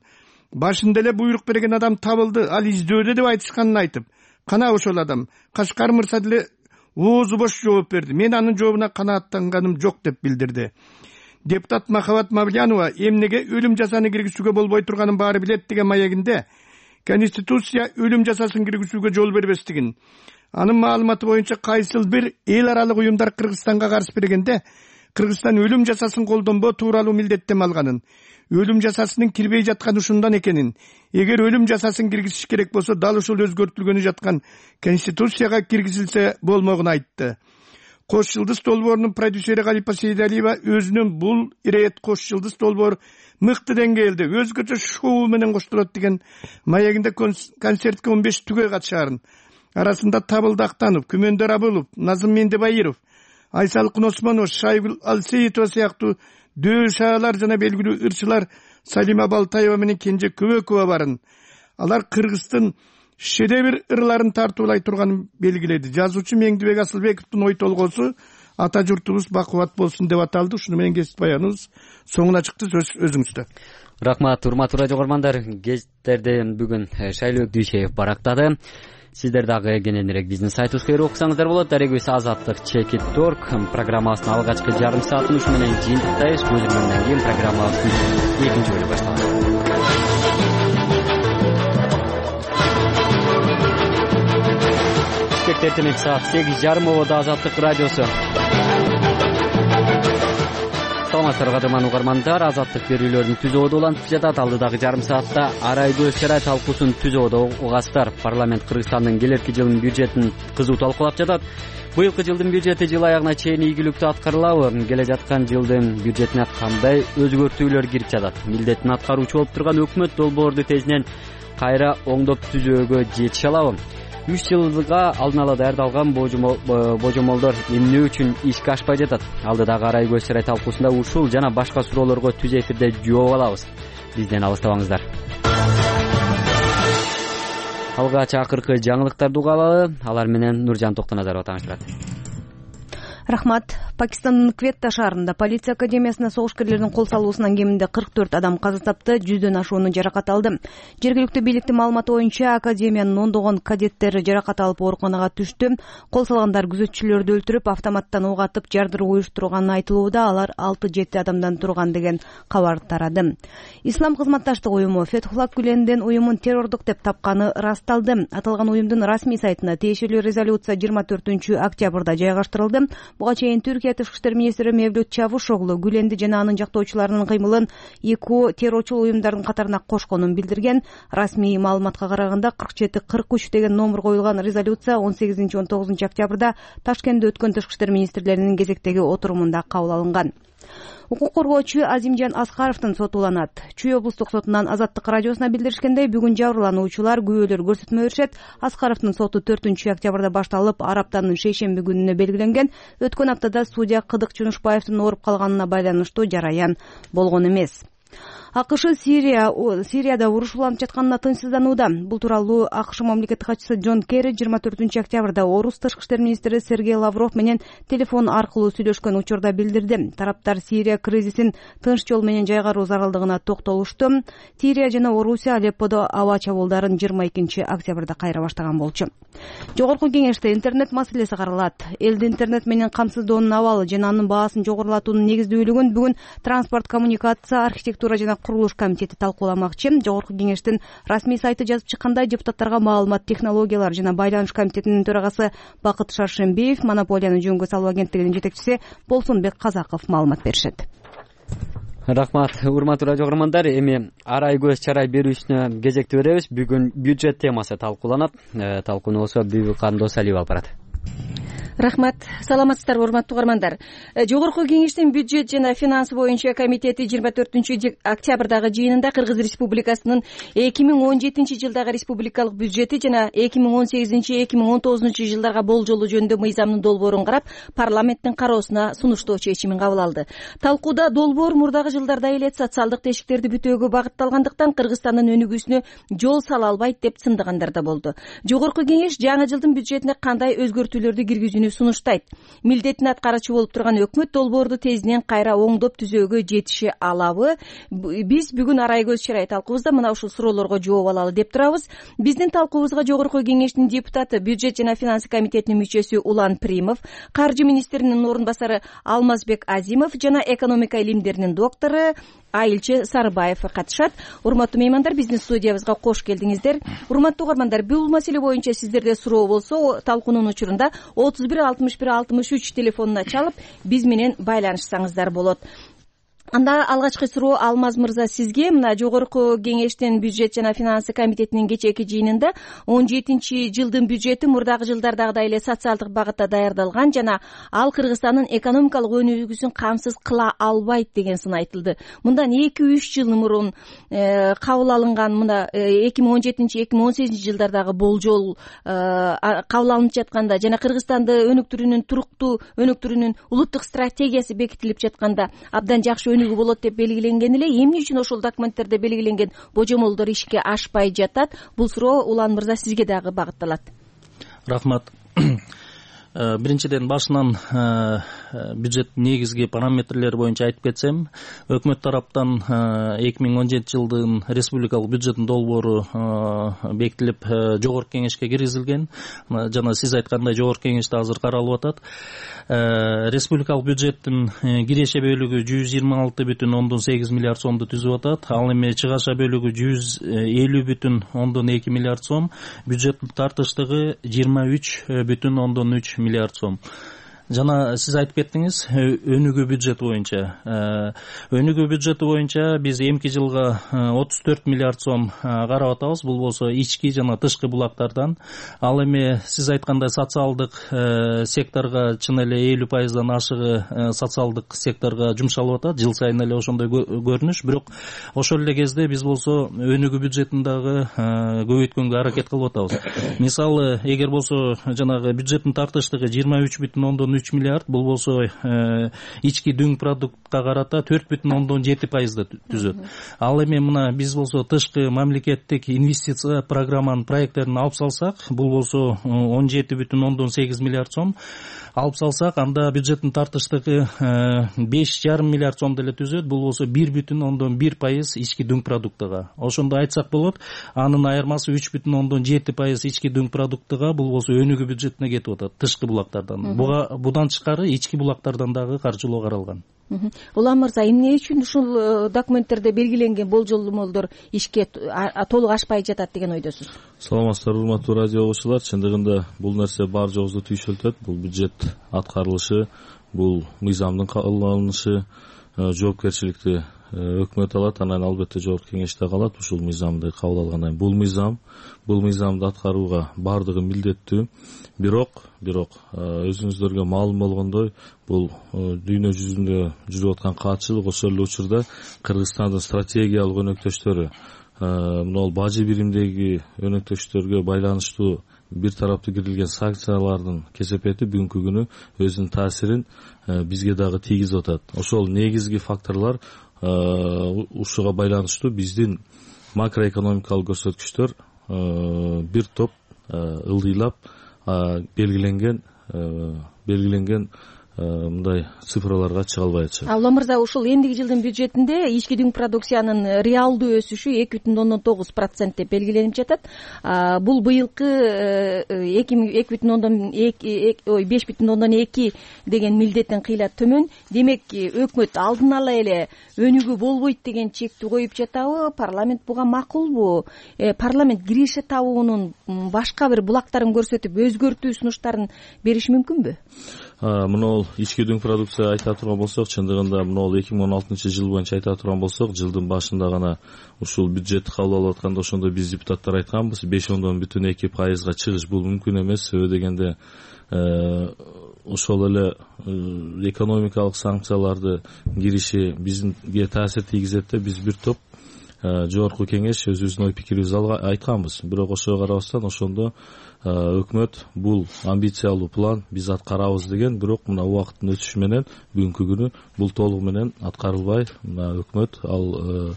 башында эле буйрук берген адам табылды, ал издөөдө деп айтышканын айтып, кана ошол адам Кашкар мырза деле оозу бош жооп берди. Мен анын жообуна канааттанганым жок деп билдирди. Депутат Махабат Мавлянова эмнеге өлүм жазаны киргизүүгө болбой турганын баары билет деген маегинде Конституция өлүм жазасын киргизүүгө жол бербестигин, Анын маалыматы боюнча кайсыл бир эл аралык уюмдар Кыргызстанга каршы бергенде Кыргызстан өлүм жазасын колдонбоо тууралуу милдеттенме алганын, өлүм жазасынын кирбей жатканы ушундан экенин, эгер өлүм жазасын киргизиш керек болсо дал ушул өзгөртүлгөнү жаткан конституцияга киргизилсе болмогун айтты. Кош жылдыз долбоорунун продюсери Галипа Сейдалиева өзүнүн бул ирет Кош жылдыз долбоор мыкты деңгээлде өзгөчө шоу менен коштолот деген маегинде концертке 15 түгөй катышаарын, арасында Табылды Актанов, Күмөндөр Абылов, Назым Мендебайыров, Айсалкын Осмонов, Шайгул Алсеитова сыяктуу дөшаалар жана белгилүү ырчылар Салима Балтаева менен Кенже Көбөкова барын. Алар Кыргыздын шедевр ырларын тартуулай турганын белгиледи. Жазуучу Меңдибек Асылбековдун ой толгоосу ата журтубуз бакубат болсун деп аталды. Ушуну менен кесип баяныбыз соңуна чыкты. Сөз өзүңүздө. Рахмат, урматтуу радио көрөрмандар. Гезиттерди бүгүн Шайлыбек Дүйшеев барактады. Сиздер дагы кененирээк биздин сайтыбызга окусаңыздар болот. Дарегибиз azatlyk.org программасынын алгачкы жарым саатын ушу менен жыйынтыктайбыз. Көзүмөндөн кийин программабыздын экинчи бөлүгү башталат. Эртең саат 8:30 ободо Азаттык радиосу. Саламатсыздарбы кадырман угармандар, Азаттык берүүлөрүн түз ободо улантып жатат. Алдыдагы жарым саатта арай көз чарай талкуусун түз ободо угасыздар. Парламент Кыргызстандын келерки жылдын бюджетин кызуу талкуулап жатат. Быйылкы жылдын бюджети жыл аягына чейин ийгиликтүү аткарылабы? Келе жаткан жылдын бюджетине кандай өзгөртүүлөр кирип жатат? Милдетин аткаруучу болуп турган өкмөт долбоорду тезинен кайра оңдоп түзөөгө жетише алабы? 3 жылга алдын ала даярдалган божомолдор эмне үчүн ишке ашпай жатат? Алдыдагы арай көз чарай талкуусунда ушул жана башка суроолорго түз эфирде жооп алабыз. Бизден алыстабаңыздар. Алгач акыркы жаңылыктарды угалы, алар менен Нуржан Токтоназарова тааныштырат. Рахмат. Пакистандын Кветта шаарында полиция академиясына согушкерлердин кол салуусунан кеминде 44 адам каза тапты, 100дөн ашууну жаракат алды. Жергиликтүү бийликтин маалыматы боюнча академиянын ондогон кадеттери жаракат алып ооруканага түштү. Кол салгандар күзөтчүлөрдү өлтүрүп, автоматтан ок атып, жардыруу уюштурганы айтылууда. Алар 6-7 адамдан турган деген кабар тарады. Ислам кызматташтык уюму Фетхуллах Гүлендин уюмун террордук деп тапканы расталды. Аталган уюмдун расмий сайтына тиешелүү резолюция 24-октябрда жайгаштырылды. Буга чейин Түркия Тышкы иштер министри Мевлют Чавушоглу Гүленди жана анын жактоочуларынын кыймылын эки террорчул уюмдардын катарына кошконун билдирген. Расмий маалыматка караганда 47-43 деген номер коюлган резолюция 18-19 октябрда Ташкентте өткөн тышкы иштер министрлеринин кезектеги отурумунда кабыл алынган. Укук коргоочу Азимжан Аскаровдун соту уланат. Чүй облустук сотунан Азаттык радиосуна билдиришкендей, бүгүн жабырлануучулар күбөлөр көрсөтмө беришет. Аскаровдун соту 4-октябрда башталып, ар аптанын шейшемби күнүнө белгиленген. Өткөн аптада судья Кыдык Жунушбаевдин ооруп калганына байланыштуу жараян болгон эмес. АКШ Сирияда уруш уланып жатканына тынчсызданууда. Бул тууралуу АКШ мамлекеттик катчысы Джон Керри 24-октябрда орус тышкы иштер министри Сергей Лавров менен телефон аркылуу сүйлөшкөн учурда билдирди. Тараптар Сирия кризисин тынч жол менен жайгаруу зарылдыгына токтолушту. Сирия жана Орусия Алепподо аба чабуулдарын 22-октябрда кайра баштаган болчу. Жогорку кеңеште интернет маселеси каралат. Элди интернет менен камсыздоонун абалы жана анын баасын жогорулатуунун негиздүүлүгүн бүгүн транспорт, коммуникация, архитектура жана курулуш комитети талкууламакчы. Жогорку кеңештин расмий сайты жазып чыккандай, депутаттарга маалымат технологиялар жана байланыш комитетинин төрагасы Бакыт Шаршембиев, монополияны жөнгө салуу агенттигинин жетекчиси Болсунбек Казаков маалымат беришет. Рахмат, урматтуу радио көрөрмандар. Эми арай көз чарай берүүсүнө кезекти беребиз. Бүгүн бюджет темасы талкууланат. Талкууну болсо Бибик Кандосалиева алып барат. Рахмат. Саламатсыздарбы, урматтуу угармандар. Жогорку кеңештин бюджет жана финансы боюнча комитети 24-октябрдагы жыйынында Кыргыз Республикасынын 2017-жылдагы республикалык бюджети жана 2018-2019 жылдарга болжолу жөнүндө мыйзамдын долбоорун карап, парламенттин кароосуна сунуштоо чечимин кабыл алды. Талкууда долбоор мурдагы жылдарда эле социалдык тешиктерди бүтөөгө багытталгандыктан Кыргызстандын өнүгүүсүнө жол сала албайт деп сындыгандар да болду. Жогорку кеңеш жаңы жылдын бюджетине кандай өзгөртүүлөрдү киргизүүнү сунуштайт. Милдетин аткаруучу болуп турган өкмөт долбоорду тезинен кайра оңдоп түзөөгө жетише алабы? Биз бүгүн арай көз чарай талкуубузда мына ушул суроолорго жооп алалы деп турабыз. Биздин талкуубузга жогорку кеңештин депутаты, бюджет жана финансы комитетинин мүчөсү Улан Примов, каржы министринин орун басары Алмазбек Азимов жана экономика илимдеринин доктору Айылчы Сарыбаев катышат. Урматтуу меймандар, биздин студиябызга кош келдиңиздер. Урматтуу угармандар, бул маселе боюнча сиздерде суроо болсо, талкуунун учурунда 31 61 63 телефонуна чалып биз менен байланышсаңыздар болот. Анда алгачкы суроо Алмаз мырза сизге. Мына жогорку кеңештин бюджет жана финансы комитетинин кечээки жыйынында 17-жылдын бюджети мурдагы жылдардагыдай эле социалдык багытта даярдалган жана ал Кыргызстандын экономикалык өнүгүүсүн камсыз кыла албайт деген сын айтылды. Мындан 2-3 жыл мурун кабыл алынган мына 2017-2018 жылдардагы болжол кабыл алынып жатканда жана Кыргызстанды өнүктүрүүнүн туруктуу өнүктүрүүнүн улуттук стратегиясы бекитилип жатканда абдан жакшы өнүгүү болот деп белгиленген эле, эмне үчүн ошол документтерде белгиленген божомолдор ишке ашпай жатат? Бул суроо Улан мырза сизге дагы багытталат. Рахмат. Биринчиден башынан бюджет негизги параметрлери боюнча айтып кетсем, өкмөт тараптан 2017 жылдын республикалык бюджеттин долбоору бекитилип жогорку кеңешке киргизилген. Жана сиз айткандай жогорку кеңеште азыр каралып атат. Республикалык бюджеттин киреше бөлүгү 126,8 миллиард сомду түзүп атат. Ал эми чыгаша бөлүгү 150,2 миллиард сом, бюджеттин тартыштыгы 23,3 миллиард сом. Жана сиз айтып кеттиңиз өнүгүү бюджети боюнча. Өнүгүү бюджети боюнча биз эмки жылга 34 миллиард сом карап атабыз. Бул болсо ички жана тышкы булактардан. Ал эми сиз айткандай социалдык секторго чын эле 50%дан ашыгы социалдык секторго жумшалып атат. Жыл сайын эле ошондой көрүнүш. Бирок ошол эле кезде биз болсо өнүгүү бюджетин дагы көбөйткөнгө аракет кылып атабыз. Мисалы, эгер болсо жанагы бюджеттин тартыштыгы 23,3 миллиард, бул болсо ички дүң продуктка карата 4,7% түзөт. Ал эми мына биз болсо тышкы мамлекеттик инвестиция программанын проекттерин алып салсак, бул болсо 17,8 миллиард сом алып салсак, анда бюджеттин тартыштыгы 5,5 миллиард сом деле түзөт. Бул болсо 1,1% ички дүң продуктага. Ошондо айтсак болот, анын айырмасы 3,7% ички дүң продуктага, бул болсо өнүгүү бюджетине кетип атат, тышкы булактардан. Будан тышкары ички булактардан дагы каржылоо каралган. Улан мырза, эмне үчүн ушул документтерде белгиленген болжолдор ишке толук ашпай жатат деген ойдосуз? Саламатсыздарбы, урматтуу радио окуучулар. Чындыгында бул нерсе бар жоосу түйшөлтөт. Бул бюджет аткарылышы, бул мыйзамдын кабыл алынышы, жоопкерчиликти өкмөт алат, анан албетте жогорку кеңеште калат. Ушул мыйзамды кабыл алгандан кийин бул мыйзамды аткарууга бардыгы милдеттүү. Бирок өзүңүздөргө маалым болгондой, бул дүйнө жүзүндө жүрүп аткан каатчылык, ошол эле учурда Кыргызстандын стратегиялык өнөктөштөрү, мына бажы биримдеги өнөктөштөргө байланыштуу бир тараптуу кирилген санкциялардын кесепети бүгүнкү күнү өзүнүн таасирин бизге дагы тийгизип атат. Ошол негизги факторлор ушуга байланыштуу биздин макроэкономикалык көрсөткүчтөр бир топ ылдыйлап белгиленген мындай цифраларга чыга албай атышат. Улан мырза, ушул эндиги жылдын бюджетинде ички дүң продукциянын реалдуу өсүшү 2,9% деп белгиленип жатат. Бул быйылкы 5,2 деген милдеттен кыйла төмөн. Демек, өкмөт алдын ала эле өнүгүү болбойт деген чекти коюп жатабы? Парламент буга макулбу? Парламент киреше табуунун башка бир булактарын көрсөтүп өзгөртүү сунуштарын бериши мүмкүнбү? Мына ички дүң продукция айта турган болсок, чындыгында мына 2016 жыл боюнча айта турган болсок, жылдын башында гана ушул бюджет кабыл алып атканда ошондо биз депутаттар айтканбыз, 5,2% чыгыш бул мүмкүн эмес. Себеби дегенде ошол эле экономикалык санкцияларды кириши бизге таасир тийгизет деп биз бир топ жогорку кеңеш өзүбүздүн ой пикирибизди айтканбыз. Бирок ошого карабастан ошондо өкмөт бул амбициялуу план биз аткарабыз деген, бирок мына убакыттын өтүшү менен бүгүнкү күнү бул толугу менен аткарылбай, өкмөт ал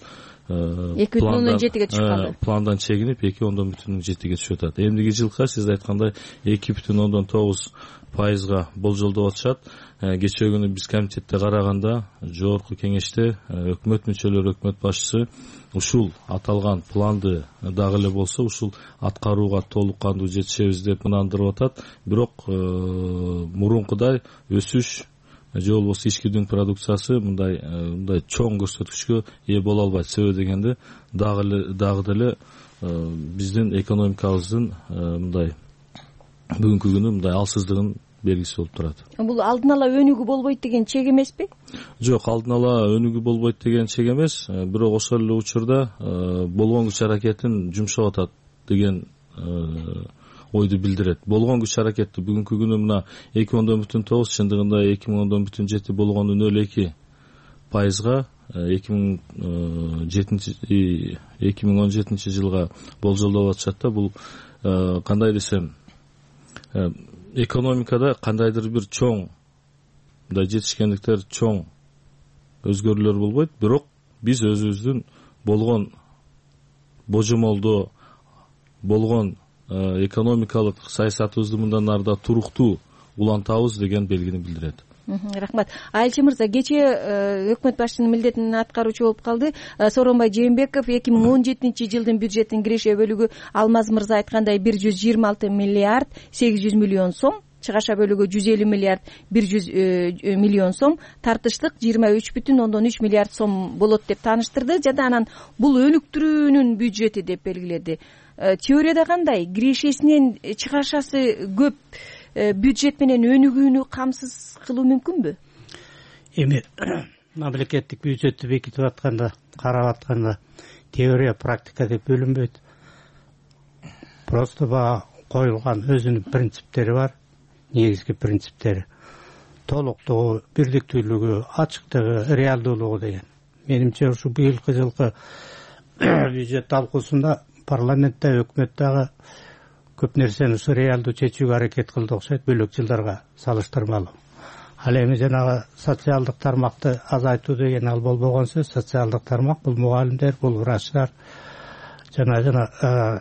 2,7 түшүп калды. Пландан чегинип 2,7 түшүп атат. Эмдиги жылга сиз айткандай 2,9% болжолдоп атышат. Кечээ күнү биз комитетте караганда жогорку кеңеште өкмөт мүчөлөрү, өкмөт башчысы ушул аталган планды дагы эле болсо ушул аткарууга толук кандуу жетишебиз деп ынандырып атат. Бирок мурункудай өсүш же болбосо ички дүң продукциясы мындай чоң көрсөткүчкө ээ боло албайт. Себеби дегенде дагы деле биздин экономикабыздын мындай бүгүнкү күнү мындай алсыздыгын белгиси болуп турат. Бул алдын ала өнүгүү болбойт деген чек эмеспи? Жок, алдын ала өнүгүү болбойт деген чек эмес, бирок ошол эле учурда болгон күч аракетин жумшап атат деген ойду билдирет. Болгон күч аракетти бүгүнкү күнү мына 2.9 чындыгында 2.7 болгон 0,2%га 2017 жылга болжолдоп атышат да. Бул кандай десем, экономикада кандайдыр бир чоң мындай жетишкендиктер, чоң өзгөрүүлөр болбойт, бирок биз өзүбүздүн болгон божомолдоо, болгон экономикалык саясатыбызды мындан ары да туруктуу улантабыз деген белгини билдирет. Рахмат. Айылчы мырза, кечээ өкмөт башчынын милдетин аткаруучу болуп калды Сооронбай Жээнбеков. 2017 жылдын бюджеттин киреше бөлүгү Алмаз мырза айткандай 126 миллиард 800 миллион сом, чыгаша бөлүгү 150 миллиард 100 миллион сом, тартыштык 23,3 миллиард сом болот деп тааныштырды. Жада анан бул өнүктүрүүнүн бюджети деп белгиледи. Теорияда кандай? Кирешесинен чыгашасы көп бюджет менен өнүгүүнү камсыз кылуу мүмкүнбү? Эми мамлекеттик бюджетти бекитип атканда, карап атканда теория, практика деп бөлүнбөйт. Просто бага коюлган өзүнүн принциптери бар, негизги принциптери. Толуктугу, бирдиктүүлүгү, ачыктыгы, реалдуулугу деген. Менимче ушу быйылкы жылкы бюджет талкуусунда парламентте, өкмөттөгү көп нерсени ушу реалдуу чечүүгө аракет кылды окшойт, бөлөк жылдарга салыштырмалуу. Ал эми жанагы социалдык тармакты азайтуу деген ал болбогон сөз. Социалдык тармак бул мугалимдер, бул врачтар, жана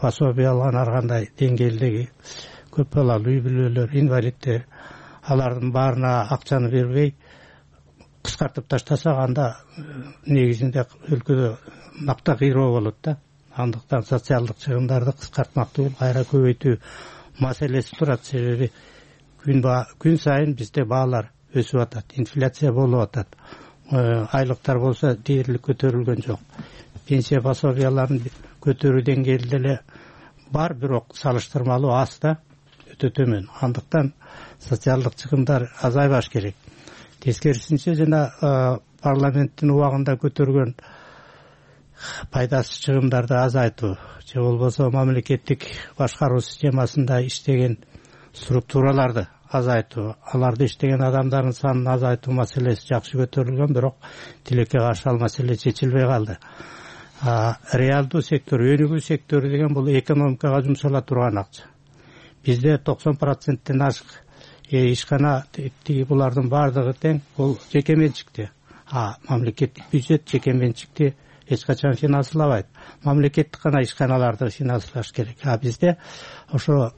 пособие алган ар кандай деңгээлдеги көп балалуу үй бүлөлөр, инвалидтер, алардын баарына акчаны бербей кыскартып таштасак, анда негизинде өлкөдө макта кыйроо болот да. Андыктан социалдык чыгымдарды кыскартмак түгүл, кайра көбөйтүү маселеси турат. Себеби күн сайын бизде баалар өсүп атат, инфляция болуп атат. Айлыктар болсо дээрлик көтөрүлгөн жок. Пенсия пособияларын көтөрүү деңгээли деле бар, бирок салыштырмалуу аз да, өтө төмөн. Андыктан социалдык чыгымдар азайбаш керек. Тескерисинче жана парламенттин убагында көтөргөн пайдасыз чыгымдарды азайтуу, же болбосо мамлекеттик башкаруу системасында иштеген структураларды азайтуу, аларды иштеген адамдардын санын азайтуу маселеси жакшы көтөрүлгөн, бирок тилекке каршы ал маселе чечилбей калды. Реалдуу сектор, өнүгүү сектору деген бул экономикага жумшала турган акча. Бизде 90%-тен ашык ишкана тиги булардын баардыгы тең бул жеке менчикте. Мамлекеттик бюджет жеке менчикти эч качан финанслабайт. Мамлекеттик гана ишканаларды финанслаш керек. Бизде ошо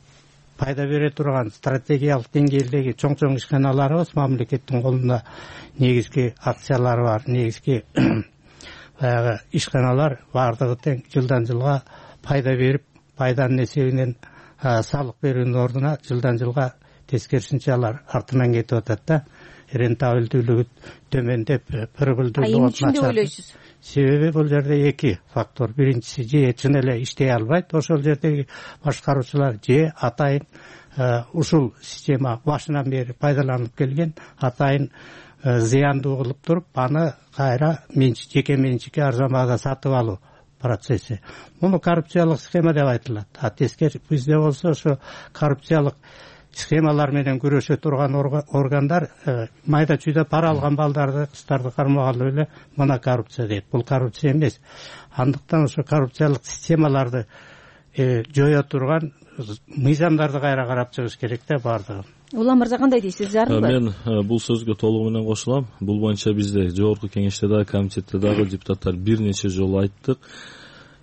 пайда бере турган стратегиялык деңгээлдеги чоң ишканаларыбыз, мамлекеттин колунда негизги акциялары бар, негизги баягы ишканалар баардыгы тең жылдан жылга пайда берип, пайданын эсебинен салык берүүнүн ордуна жылдан жылга тескерисинче алар артынан кетип атат да. Рентабелдүүлүгү төмөндөп, прибылдүүлүгү начар. Себеби бул жерде эки фактор. Биринчиси, же чын эле иштей албайт ошол жердеги башкаруучулар, же атайын ушул система башынан бери пайдаланып келген, атайын зыяндуу кылып туруп, аны кайра жеке менчикке арзан баада сатып алуу процесси. Муну коррупциялык схема деп айтылат. Тескери бизде болсо ошо коррупциялык схемалар менен күрөшө турган органдар майда чүйдө пара алган балдарды, кыздарды кармагалы эле мына коррупция дейт. Бул коррупция эмес. Андыктан ошо коррупциялык системаларды жое турган мыйзамдарды кайра карап чыгыш керек да баардыгы. Улам мырза кандай дейсиз? Зарылбы? Мен бул сөзгө толугу менен кошулам. Бул боюнча бизде жогорку кеңеште дагы, комитетте дагы депутаттар бир нече жолу айттык.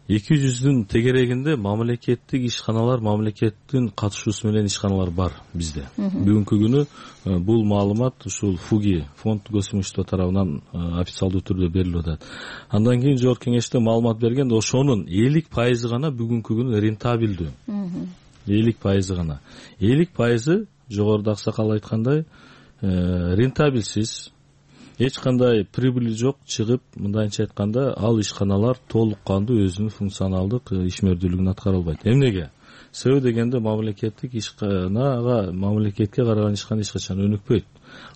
200-дün тегерегинде мамлекеттик ишканалар, мамлекеттин катышуусу менен ишканалар бар бизде. Бүгүнкү күнү бул маалымат ушул ФУГИ, фонд госимущества тарабынан официалдуу түрдө берилип атат. Андан кийин жогорку кеңеште маалымат бергенде ошонун 50% гана бүгүнкү күнү рентабелдүү. 50% гана. 50% жогоруда аксакал айткандай рентабельсиз, эч кандай прибыли жок чыгып, мындайча айтканда, ал ишканалар толук кандуу өзүнүн функционалдык ишмердүүлүгүн аткара албайт. Эмнеге? Себеби дегенде мамлекеттик ишканага, мамлекетке караган ишкана эч качан өнүкпөйт.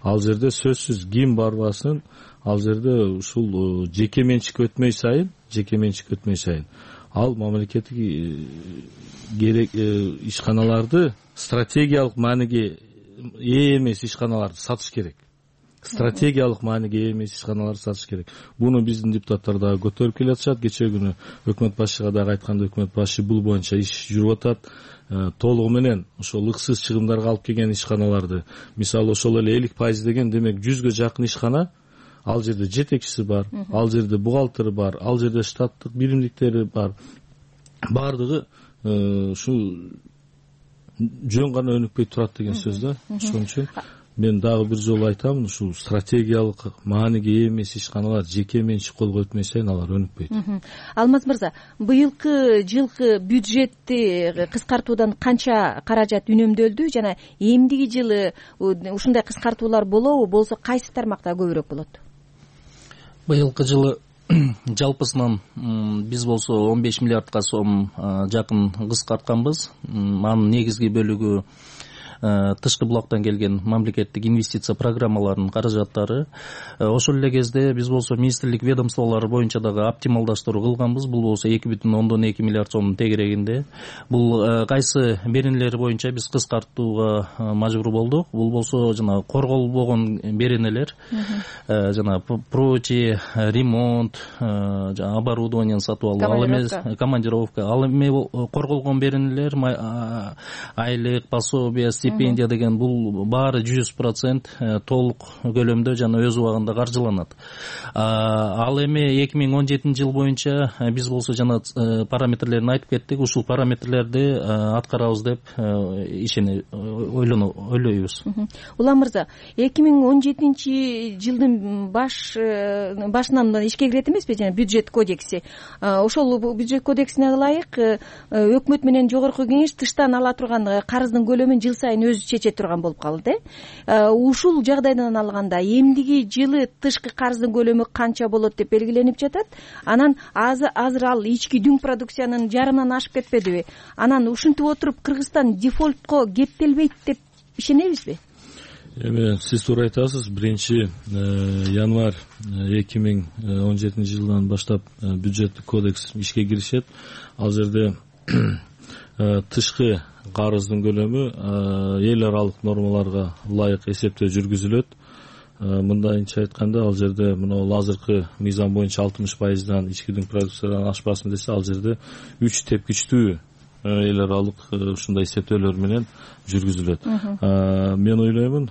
Ал жерде сөзсүз ким барбасын, ал жерде ушул жеке менчикке өтмөй сайын, ал мамлекеттик ишканаларды стратегиялык мааниге ээ эмес ишканаларды сатыш керек. Буну биздин депутаттар дагы көтөрүп келатышат. Кечээ күнү өкмөт башчыга дагы айтканда, өкмөт башчы бул боюнча иш жүрүп атат. Толугу менен ошол ыксыз чыгымдарга алып келген ишканаларды, мисалы ошол эле 50% деген, демек 100гө жакын ишкана, ал жерде жетекчиси бар, ал жерде бухгалтери бар, ал жерде штаттык биримдиктери бар. Бардыгы ушу жөн гана өнүкпөй турат деген сөз да. Ошон үчүн мен дагы бир жолу айтамын, ушул стратегиялык мааниге ээ эмес ишканалар жеке менчик колго өтмөй сайын алар өнүкпөйт. Алмаз мырза, быйылкы жылкы бюджетти кыскартуудан канча каражат үнөмдөлдү жана эмдиги жылы ушундай кыскартуулар болобу, болсо кайсы тармакта көбүрөөк болот? Быйылкы жылы жалпысынан биз болсо 15 миллиардка сом жакын кыскартканбыз. Анын негизги бөлүгү тышкы блоктон келген мамлекеттик инвестиция программаларынын каражаттары. Ошол эле кезде биз болсо министрлик ведомстволору боюнча дагы оптималдаштыруу кылганбыз. Бул болсо 2,2 миллиард сомдун тегерегинде. Бул кайсы беренелер боюнча биз кыскартууга мажбур болдук. Бул болсо жана корголбогон беренелер, жана прочие, ремонт, жана оборудование сатып алуу, ал эмес командировка, ал эме корголгон беренелер, айлык, пособие, стипендия деген бул баары 100% толук көлөмдө жана өз убагында каржыланат. Ал эми 2017 жыл боюнча биз болсо жана параметрлерин айтып кеттик. Ушул параметрлерди аткарабыз деп ойлойбуз. Улам мырза, 2017 жылдын башынан ишке кирет эмеспи жана бюджет кодекси. Ошол бюджет кодексине ылайык өкмөт менен жогорку кеңеш тыштан ала турган карыздын көлөмүн жыл сайын өзү чече турган болуп калды. Ушул жагдайдан алганда эмдиги жылы тышкы карыздын көлөмү канча болот деп белгиленип жатат. Анан азыр ал ички дүң продукциянын жарымынан ашып кетпедиби? Анан ушинтип отуруп Кыргызстан дефолтко кептелбейт деп ишенебизби? Эми сиз туура айтасыз. 1-январь 2017 жылдан баштап бюджеттик кодекс ишке киришет. Ал жерде тышкы карыздын көлөмү эл аралык нормаларга ылайык эсептөө жүргүзүлөт. Мындайча айтканда, ал жерде мына азыркы мыйзам боюнча 60%дан ички дүң продукциядан ашпасын десе, ал жерде 3 тепкичтүү эл аралык ушундай эсептөөлөр менен жүргүзүлөт. Мен ойлоймун,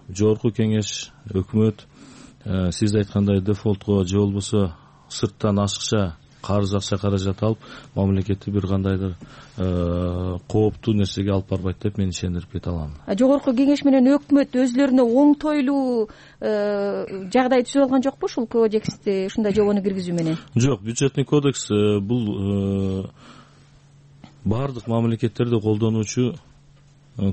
жогорку кеңеш, өкмөт сиз айткандай дефолтко же болбосо сырттан ашыкча карыз акча каражат алып, мамлекетти бир кандайдыр кооптуу нерсеге алып барбайт деп мен ишендирип кете алам. Жогорку кеңеш менен өкмөт өзлөрүнө оңтойлуу жагдай түзүп алган жокпу ушул кодексти ушундай жобону киргизүү менен? Жок, бюджетный кодекс бул бардык мамлекеттерде колдонуучу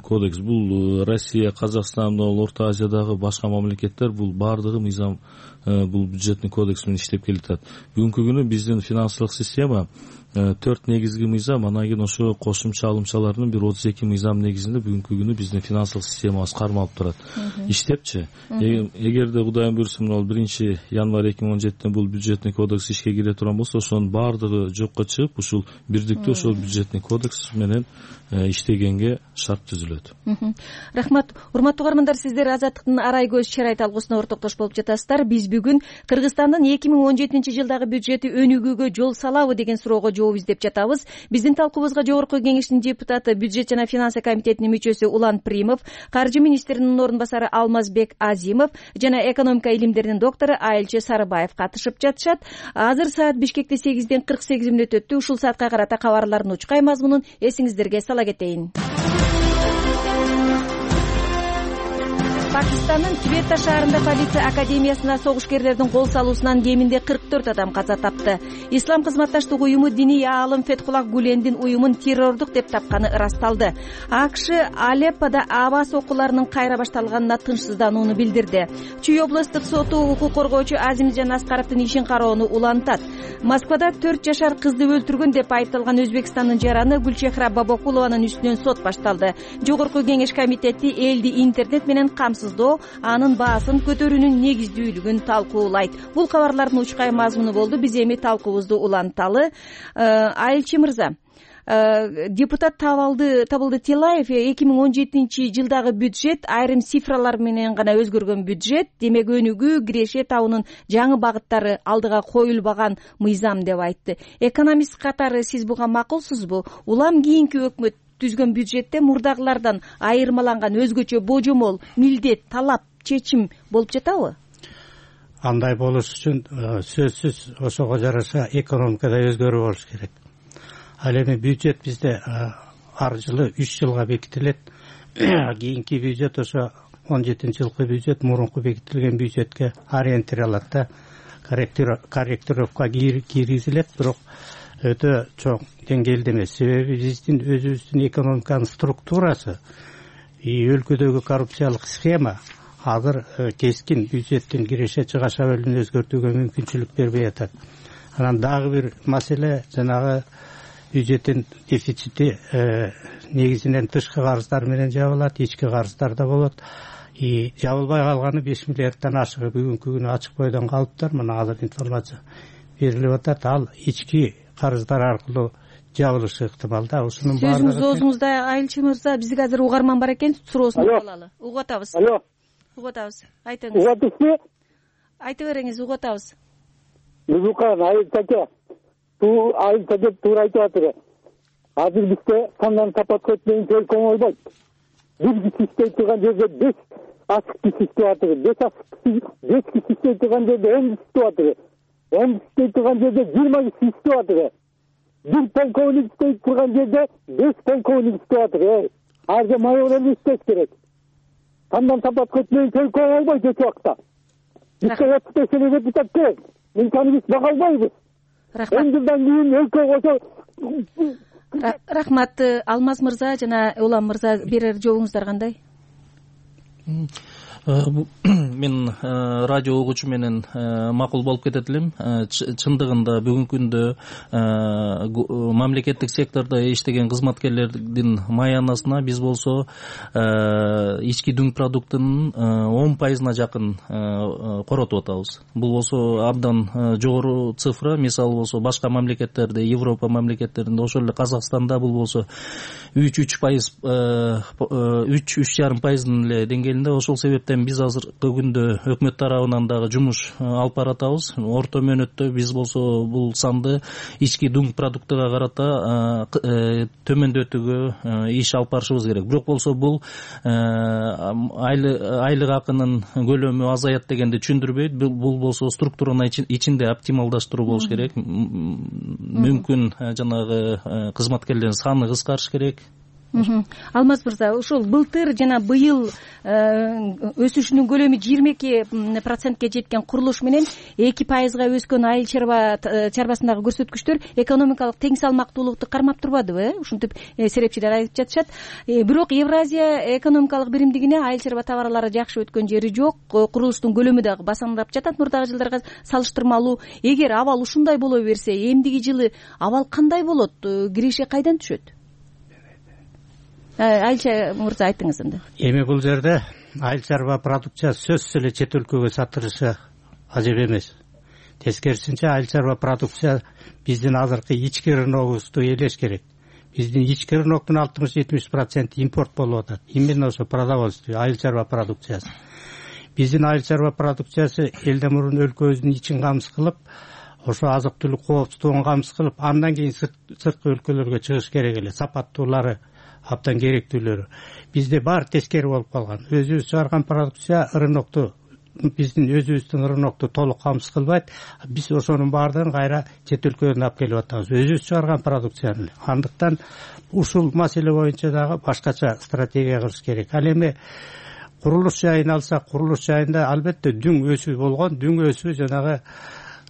кодекс. Бул Россия, Казакстан, Орто Азиядагы башка мамлекеттер бул бардыгы мыйзам, бул бюджетный кодекс менен иштеп келатат. Бүгүнкү күнү биздин финансылык система 4 негизги мыйзам, анан кийин ошо кошумча алымчалардын бир 32 мыйзам негизинде бүгүнкү күнү биздин финансылык системабыз кармалып турат. Иштепчи. Эгерде Кудайым буйрса, 1-январь 2017 бул бюджетный кодекс ишке кире турган болсо, ошонун бардыгы жокко чыгып, ушул бирдиктүү ошол бюджетный кодекс менен иштегенге шарт түзүлөт. Рахмат. Урматтуу угармандар, сиздер Азаттыктын арай көз чарайт алгысына ортоктош болуп жатасыздар. Биз бүгүн Кыргызстандын 2017 жылдагы бюджети өнүгүүгө жол салабы деген суроого жооп издеп жатабыз. Биздин талкуубузга жогорку кеңештин депутаты, бюджет жана финансы комитетинин мүчөсү Улан Примов, каржы министринин орун басары Алмазбек Азимов жана экономика илимдеринин доктору Айылчы Сарыбаев катышып жатышат. Азыр саат Бишкекте 8:48 өттү. Ушул саатка карата кабарлардын учкай мазмунун эсиңиздерге сала кетейин. Пакистандын Кветта шаарында полиция академиясына согушкерлердин кол салуусунан кеминде 44 адам каза тапты. Ислам кызматташтык уюму диний аалым Фетхуллах Гулендин уюмун террордук деп тапканы ырасталды. АКШ Алеппода аба сокууларынын кайра башталганына тынчсызданууну билдирди. Чүй областтык соту укук коргоочу Азимжан Аскаровдун ишин кароону улантат. Москвада 4 жашар кызды өлтүргөн деп айыпталган Өзбекстандын жараны Гүлчехра Бабакулованын үстүнөн сот башталды. Жогорку кеңеш комитети элди интернет менен камсыздоо, анын баасын көтөрүүнүн негиздүүлүгүн талкуулайт. Бул кабарлардын учкай мазмуну болду. Биз эми талкуубузду уланталы. Айылчы мырза, депутат Табылды Тилаев 2017-жылдагы бюджет айрым цифралар менен гана өзгөргөн бюджет, демек өнүгүү, киреше табуунун жаңы багыттары алдыга коюлбаган мыйзам деп айтты. Экономист катары сиз буга макулсузбу? Улам кийинки өкмөт түзгөн бюджетте мурдагылардан айырмаланган өзгөчө божомол, милдет, талап, чечим болуп жатабы? Андай болуш үчүн сөзсүз ошого жараша экономикада өзгөрүү болуш керек. Ал эми бюджет бизде ар жылы 3 жылга бекитилет. Кийинки бюджет ошо 17-жылкы бюджет мурунку бекитилген бюджетке ориентировалат да, корректировка киргизилет, бирок өтө чоң деңгээлде эмес. Себеби биздин өзүбүздүн экономиканын структурасы, өлкөдөгү коррупциялык схема азыр кескин бюджеттин киреше чыгаша бөлүгүн өзгөртүүгө мүмкүнчүлүк бербей атат. Анан дагы бир маселе жанагы бюджеттин дефицити негизинен тышкы карыздар менен жабылат, ички карыздар да болот. Жабылбай калганы 5 миллиарддан ашыгы бүгүнкү күнү ачык бойдон калыптыр. Мына азыр информация берилип атат. Ал ички карыздар аркылуу жабылышы ыктымал да. Ушунун баардыгы сөзүңүз оозуңузда Айылчы мырза, бизге азыр угарман бар экен, суроосун алалы. Угуп атабыз. Алло. Угуп атабыз. Айтыңыз. Угуп атышты? Айта бериңиз, угуп атабыз. Музыкан Айылчаке. Айылчаке туура айтып атыр. Азыр бизде кандан тапат көтмөйүн чөлкөң ойбойт. Бир киши иштей турган жерде 5 ачык киши иштеп атыр. 5 киши иштей турган жерде 10 киши иштеп атыр. 10 киши иштей турган жерде 20 киши иштеп атыр. Bir polkovnik isteyip turgan yerde 5 polkovnik isteyip atır. Harca mayorlarını isteyip gerek. Kandan tapat kötmeyin köy olmayı geçi vakta. Bizde 35 senede tutak gerek. İmkanı biz bakalmayız. 10 yıldan keyin өлкө olsa... Рахмат, Алмаз мырза жана Улам мырза берер жообуңуздар кандай? Мен радио угуучу менен макул болуп кетет элем. Чындыгында бүгүнкү күндө мамлекеттик сектордо иштеген кызматкерлердин маянасына биз болсо ички дүң продуктунун 10%-на жакын коротуп атабыз. Бул болсо абдан жогору цифра. Мисалы болсо башка мамлекеттерде, Европа мамлекеттеринде, ошол эле Казакстанда бул болсо 3,5%дын эле деңгээлинде. Ошол себептен биз азыркы күндө өкмөт тарабынан дагы жумуш алып баратабыз. Орто мөөнөттө биз болсо бул санды ички дүң продуктуга карата төмөндөтүүгө иш алып барышыбыз керек. Бирок болсо бул айлык акынын көлөмү азаят дегенди түшүндүрбөйт. Бул болсо структуранын ичинде оптималдаштыруу болуш керек. Мүмкүн жанагы кызматкерлердин саны кыскарыш керек. Алмаз мырза, ушул былтыр жана быйыл өсүшүнүн көлөмү 22%ке жеткен курулуш менен 2%га өскөн айыл чарбасындагы көрсөткүчтөр экономикалык тең салмактуулукту кармап турбадыбы? Ушинтип серепчилер айтып жатышат. Бирок Евразия экономикалык биримдигине айыл чарба товарлары жакшы өткөн жери жок. Курулуштун көлөмү дагы басаңдап жатат мурдагы жылдарга салыштырмалуу. Эгер абал ушундай боло берсе, эмдиги жылы абал кандай болот? Киреше кайдан түшөт? Айылчы мырза, айтыңыз энди. Эми бул жерде айыл чарба продукциясы сөзсүз эле чет өлкөгө сатылышы ажеп эмес. Тескерисинче айыл чарба продукция биздин азыркы ички рыногубузду ээлеш керек. Биздин ички рыноктун 60-70% импорт болуп атат. Именно ошо продовольствие, айыл чарба продукциясы. Биздин айыл чарба продукциясы элден мурун өлкөбүздүн ичин камсыз кылып, ошо азык түлүк коопсуздугун камсыз кылып, андан кийин сырткы өлкөлөргө чыгыш керек эле. Сапаттуулары, абдан керектүүлөрү. Бизде бар тескери болуп калган. Өзүбүз чыгарган продукция рынокту, биздин өзүбүздүн рынокту толук камсыз кылбайт. Биз ошонун баардыгын кайра чет өлкөдөн алып келип атабыз. Өзүбүз чыгарган продукцияны. Андыктан ушул маселе боюнча дагы башкача стратегия кылыш керек. Ал эми курулуш жайын алсак, курулуш жайында албетте дүң өсүү болгон. Дүң өсүү жанагы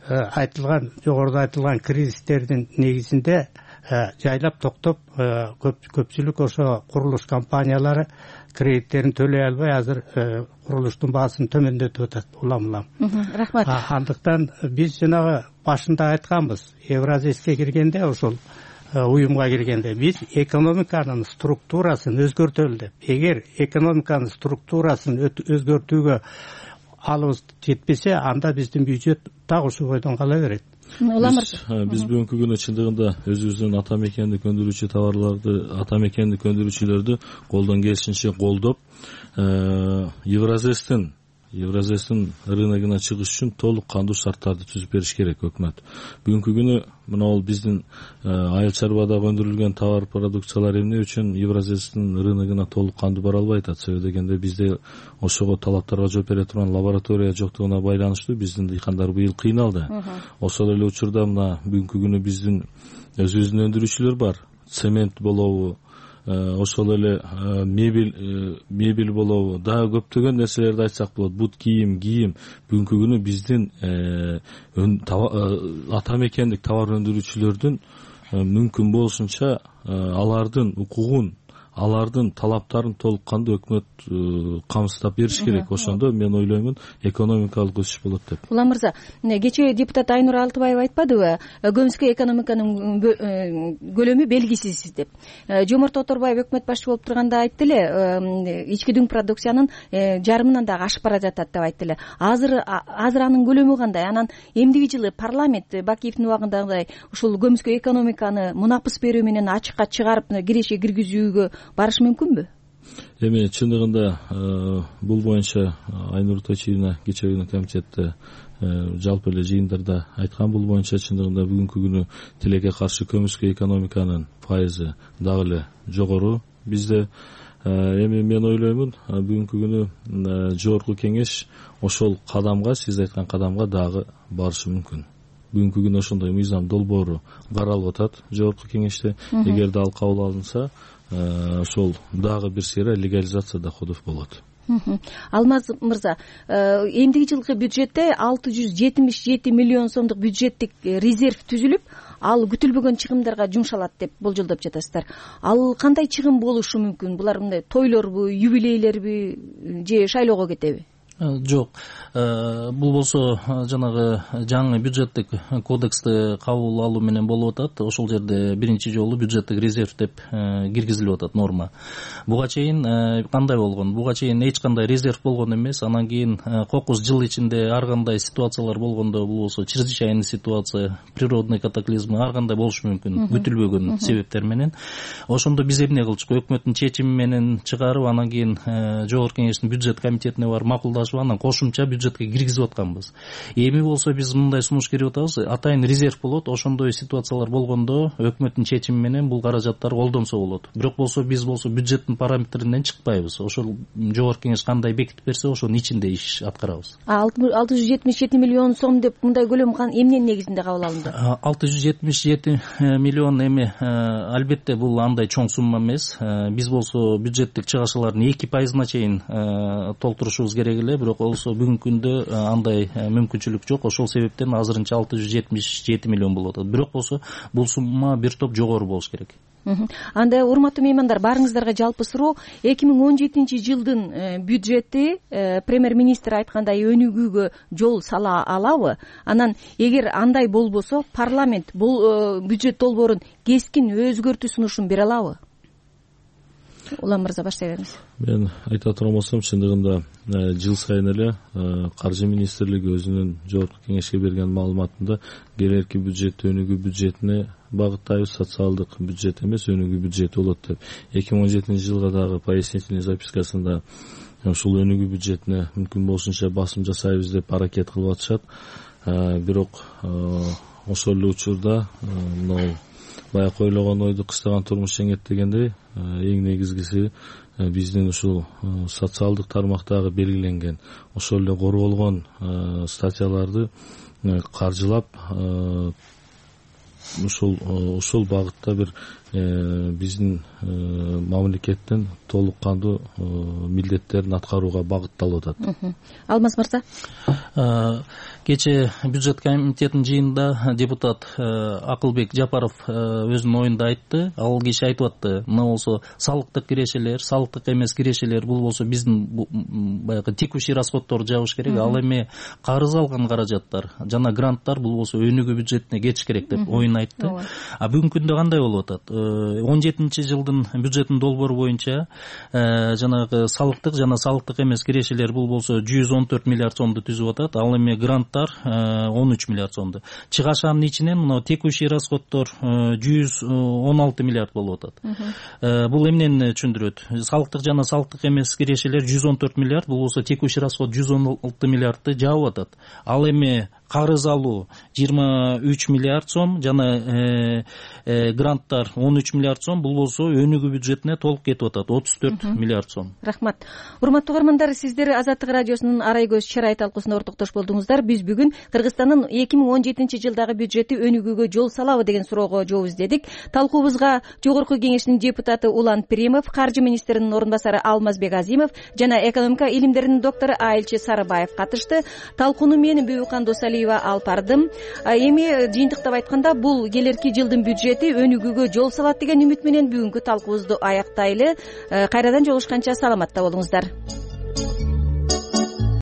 айтылган, жогоруда айтылган кризистердин негизинде жайлап токтоп, көпчүлүк ошо курулуш компаниялары кредиттерин төлөй албай азыр курулуштун баасын төмөндөтүп атат улам. Рахмат. Андыктан биз жанагы башында айтканбыз, Евразийске киргенде, ошол уюмга киргенде биз экономиканын структурасын өзгөртөлү деп. Эгер экономиканын структурасын өзгөртүүгө алыбыз жетпесе, анда биздин бюджет так ушул бойдон кала берет. Биз бүгүнкү күнү чындыгында өзүбүздүн ата мекендик өндүрүүчү товарларды, ата мекендик өндүрүүчүлөрдү колдон келишинче колдоп, Евразестин рыногуна чыгыш үчүн толук кандуу шарттарды түзүп бериш керек өкмөт. Бүгүнкү күнү мына биздин айыл чарбадагы өндүрүлгөн товар продукциялар эмне үчүн Евразестин рыногуна толук кандуу бара албай атат? Себеби дегенде бизде ошого талаптарга жооп бере турган лаборатория жоктугуна байланыштуу биздин дыйкандар быйыл кыйналды. Ошол эле учурда мына бүгүнкү күнү биздин өзүбүздүн өндүрүүчүлөр бар. Цемент болобу, ошол эле мебель болобу, дагы көптөгөн нерселерди айтсак болот. Бут кийим. Бүгүнкү күнү биздин ата мекендик товар өндүрүүчүлөрдүн мүмкүн болушунча алардын укугун, алардын талаптарын толук кандуу өкмөт камсыздап бериш керек. Ошондо мен ойлоймун экономикалык өсүш болот деп. Улам мырза, кечээ депутат Айнур Алтыбаева айтпадыбы, көмүскө экономиканын көлөмү белгисиз деп. Жомарт Оторбаев өкмөт башчы болуп турганда айтты эле, ички дүң продукциянын жарымынан дагы ашып бара жатат деп айтты эле. Азыр анын көлөмү кандай? Анан эмдиги жылы парламент Бакиевдин убагындагыдай ушул көмүскө экономиканы мунапыс берүү менен ачыкка чыгарып киреше киргизүүгө барыш мүмкүнбү? Эми чындыгында бул боюнча Айнур Точилина кечээ күнү комитетте жалпы эле жыйындарда айткан. Бул боюнча чындыгында бүгүнкү күнү тилекке каршы көмүскө экономиканын пайызы дагы эле жогору бизде. Эми мен ойлоймун бүгүнкү күнү жогорку кеңеш ошол кадамга, сиз айткан кадамга дагы барышы мүмкүн. Бүгүнкү күнү ошондой мыйзам долбоору каралып атат жогорку кеңеште. Эгерде ал кабыл алынса, ошол дагы бир сыйра легализация доходов болот. Алмаз мырза, эмдиги жылкы бюджетте 677 миллион сомдук бюджеттик резерв түзүлүп, ал күтүлбөгөн чыгымдарга жумшалат деп болжолдоп жатасыздар. Ал кандай чыгым болушу мүмкүн? Булар мындай тойлорбу, юбилейлерби же шайлоого кетеби? Жок. Бул болсо жанагы жаңы бюджеттик кодексти кабыл алуу менен болуп атат. Ошол жерде биринчи жолу бюджеттик резерв деп киргизилип атат норма. Буга чейин кандай болгон? Буга чейин эч кандай резерв болгон эмес. Анан кийин кокус жыл ичинде ар кандай ситуациялар болгондо, бул болсо чрезвычайный ситуация, природный катаклизмы ар кандай болушу мүмкүн, күтүлбөгөн себептер менен. Ошондо биз эмне кылчук? Өкмөттүн чечими менен чыгарып, анан кийин жогорку кеңештин бюджет комитетине барып макулдашып, анан кошумча бюджетке киргизип атканбыз. Эми болсо биз мындай сунуш берип атабыз. Атайын резерв болот. Ошондой ситуациялар болгондо өкмөттүн чечими менен бул каражаттар колдонсо болот. Бирок болсо биз болсо бюджеттин параметринен чыкпайбыз. Ошол жогорку кеңеш кандай бекитип берсе, ошонун ичинде иш аткарабыз. 677 миллион сом деп мындай көлөм эмненин негизинде кабыл алынды? 677 миллион эми албетте бул андай чоң сумма эмес. Биз болсо бюджеттик чыгышуулардын 2% чейин толтурушубуз керек эле. Бирок болсо бүгүнкү күндө андай мүмкүнчүлүк жок. Ошол себептен азырынча 677 миллион болот. Бирок болсо бул сумма бир топ жогору болуш керек. Анда урматтуу меймандар, барыңыздарга жалпы суроо. 2017 жылдын бюджети премьер-министр айткандай өнүгүүгө жол сала алабы? Анан эгер андай болбосо, парламент бул бюджет долбоорун кескин өзгөртүү сунушун бере алабы? Улам мырза, баштай бериңиз. Мен айта турган болсом, чындыгында жыл сайын эле Каржы министрлиги өзүнүн жогорку кеңешке берген маалыматында келерки бюджет өнүгүү бюджетине багыттайбыз, социалдык бюджет эмес, өнүгүү бюджети болот деп. 2017 жылга дагы пояснительный запискасында ушул өнүгүү бюджетине мүмкүн болушунча басым жасайбыз деп аракет кылып атышат. Бирок ошол эле учурда баягы ойлогон ойду кыстаган турмуш жеңет дегендей, эң негизгиси биздин ушул социалдык тармактагы белгиленген ошол эле корголгон статьяларды каржылап ошол багытта бир биздин мамлекеттин толук кандуу милдеттерин аткарууга багытталып атат. Алмаз мырза, кечээ бюджет комитетинин жыйынында депутат Акылбек Жапаров өзүнүн оюнда айтты. Ал киши айтып атты, мына болсо салыктык кирешелер, салыктык эмес кирешелер бул болсо биздин баягы текущий расходторду жабыш керек. Ал эми карыз алган каражаттар жана гранттар бул болсо өнүгүү бюджетине кетиш керек деп оюн айтты. А бүгүнкү күндө кандай болуп атат? 17-жылдын бюджетинин долбоору боюнча жанагы салыктык жана салыктык эмес кирешелер бул болсо 114 миллиард сомду түзүп атат. Ал эми гранттар 13 миллиард сомду. Чыгашанын ичинен мына текущий расходтор 116 миллиард болуп атат. Бул эмнени түшүндүрөт? Салыктык жана салыктык эмес кирешелер 114 миллиард, бул болсо текущий расход 116 миллиардты жаап атат. Ал эми карыз алуу 23 миллиард сом жана гранттар 13 миллиард сом, бул болсо өнүгүү бюджетине толук кетип атат 34 миллиард сом. Рахмат. Урматтуу угармандар, сиздер Азаттык радиосунун Арай көз чырай талкуусуна ортоктош болдуңуздар. Биз бүгүн Кыргызстандын 2017-жылдагы бюджети өнүгүүгө жол салабы деген суроого жооп издедик. Талкуубузга Жогорку Кеңештин депутаты Улан Пиримов, Каржы министринин орун басары Алмазбек Азимов жана экономика илимдеринин доктору Айылчы Сарыбаев катышты. Талкууну мен Бүбүкан Досалиева алып бардым. Эми жыйынтыктап айтканда, бул келерки жылдын бюджети өнүгүүгө жол салат деген үмүт менен бүгүнкү талкуубузду аяктайлы. Кайрадан жолугушканча саламатта болуңуздар.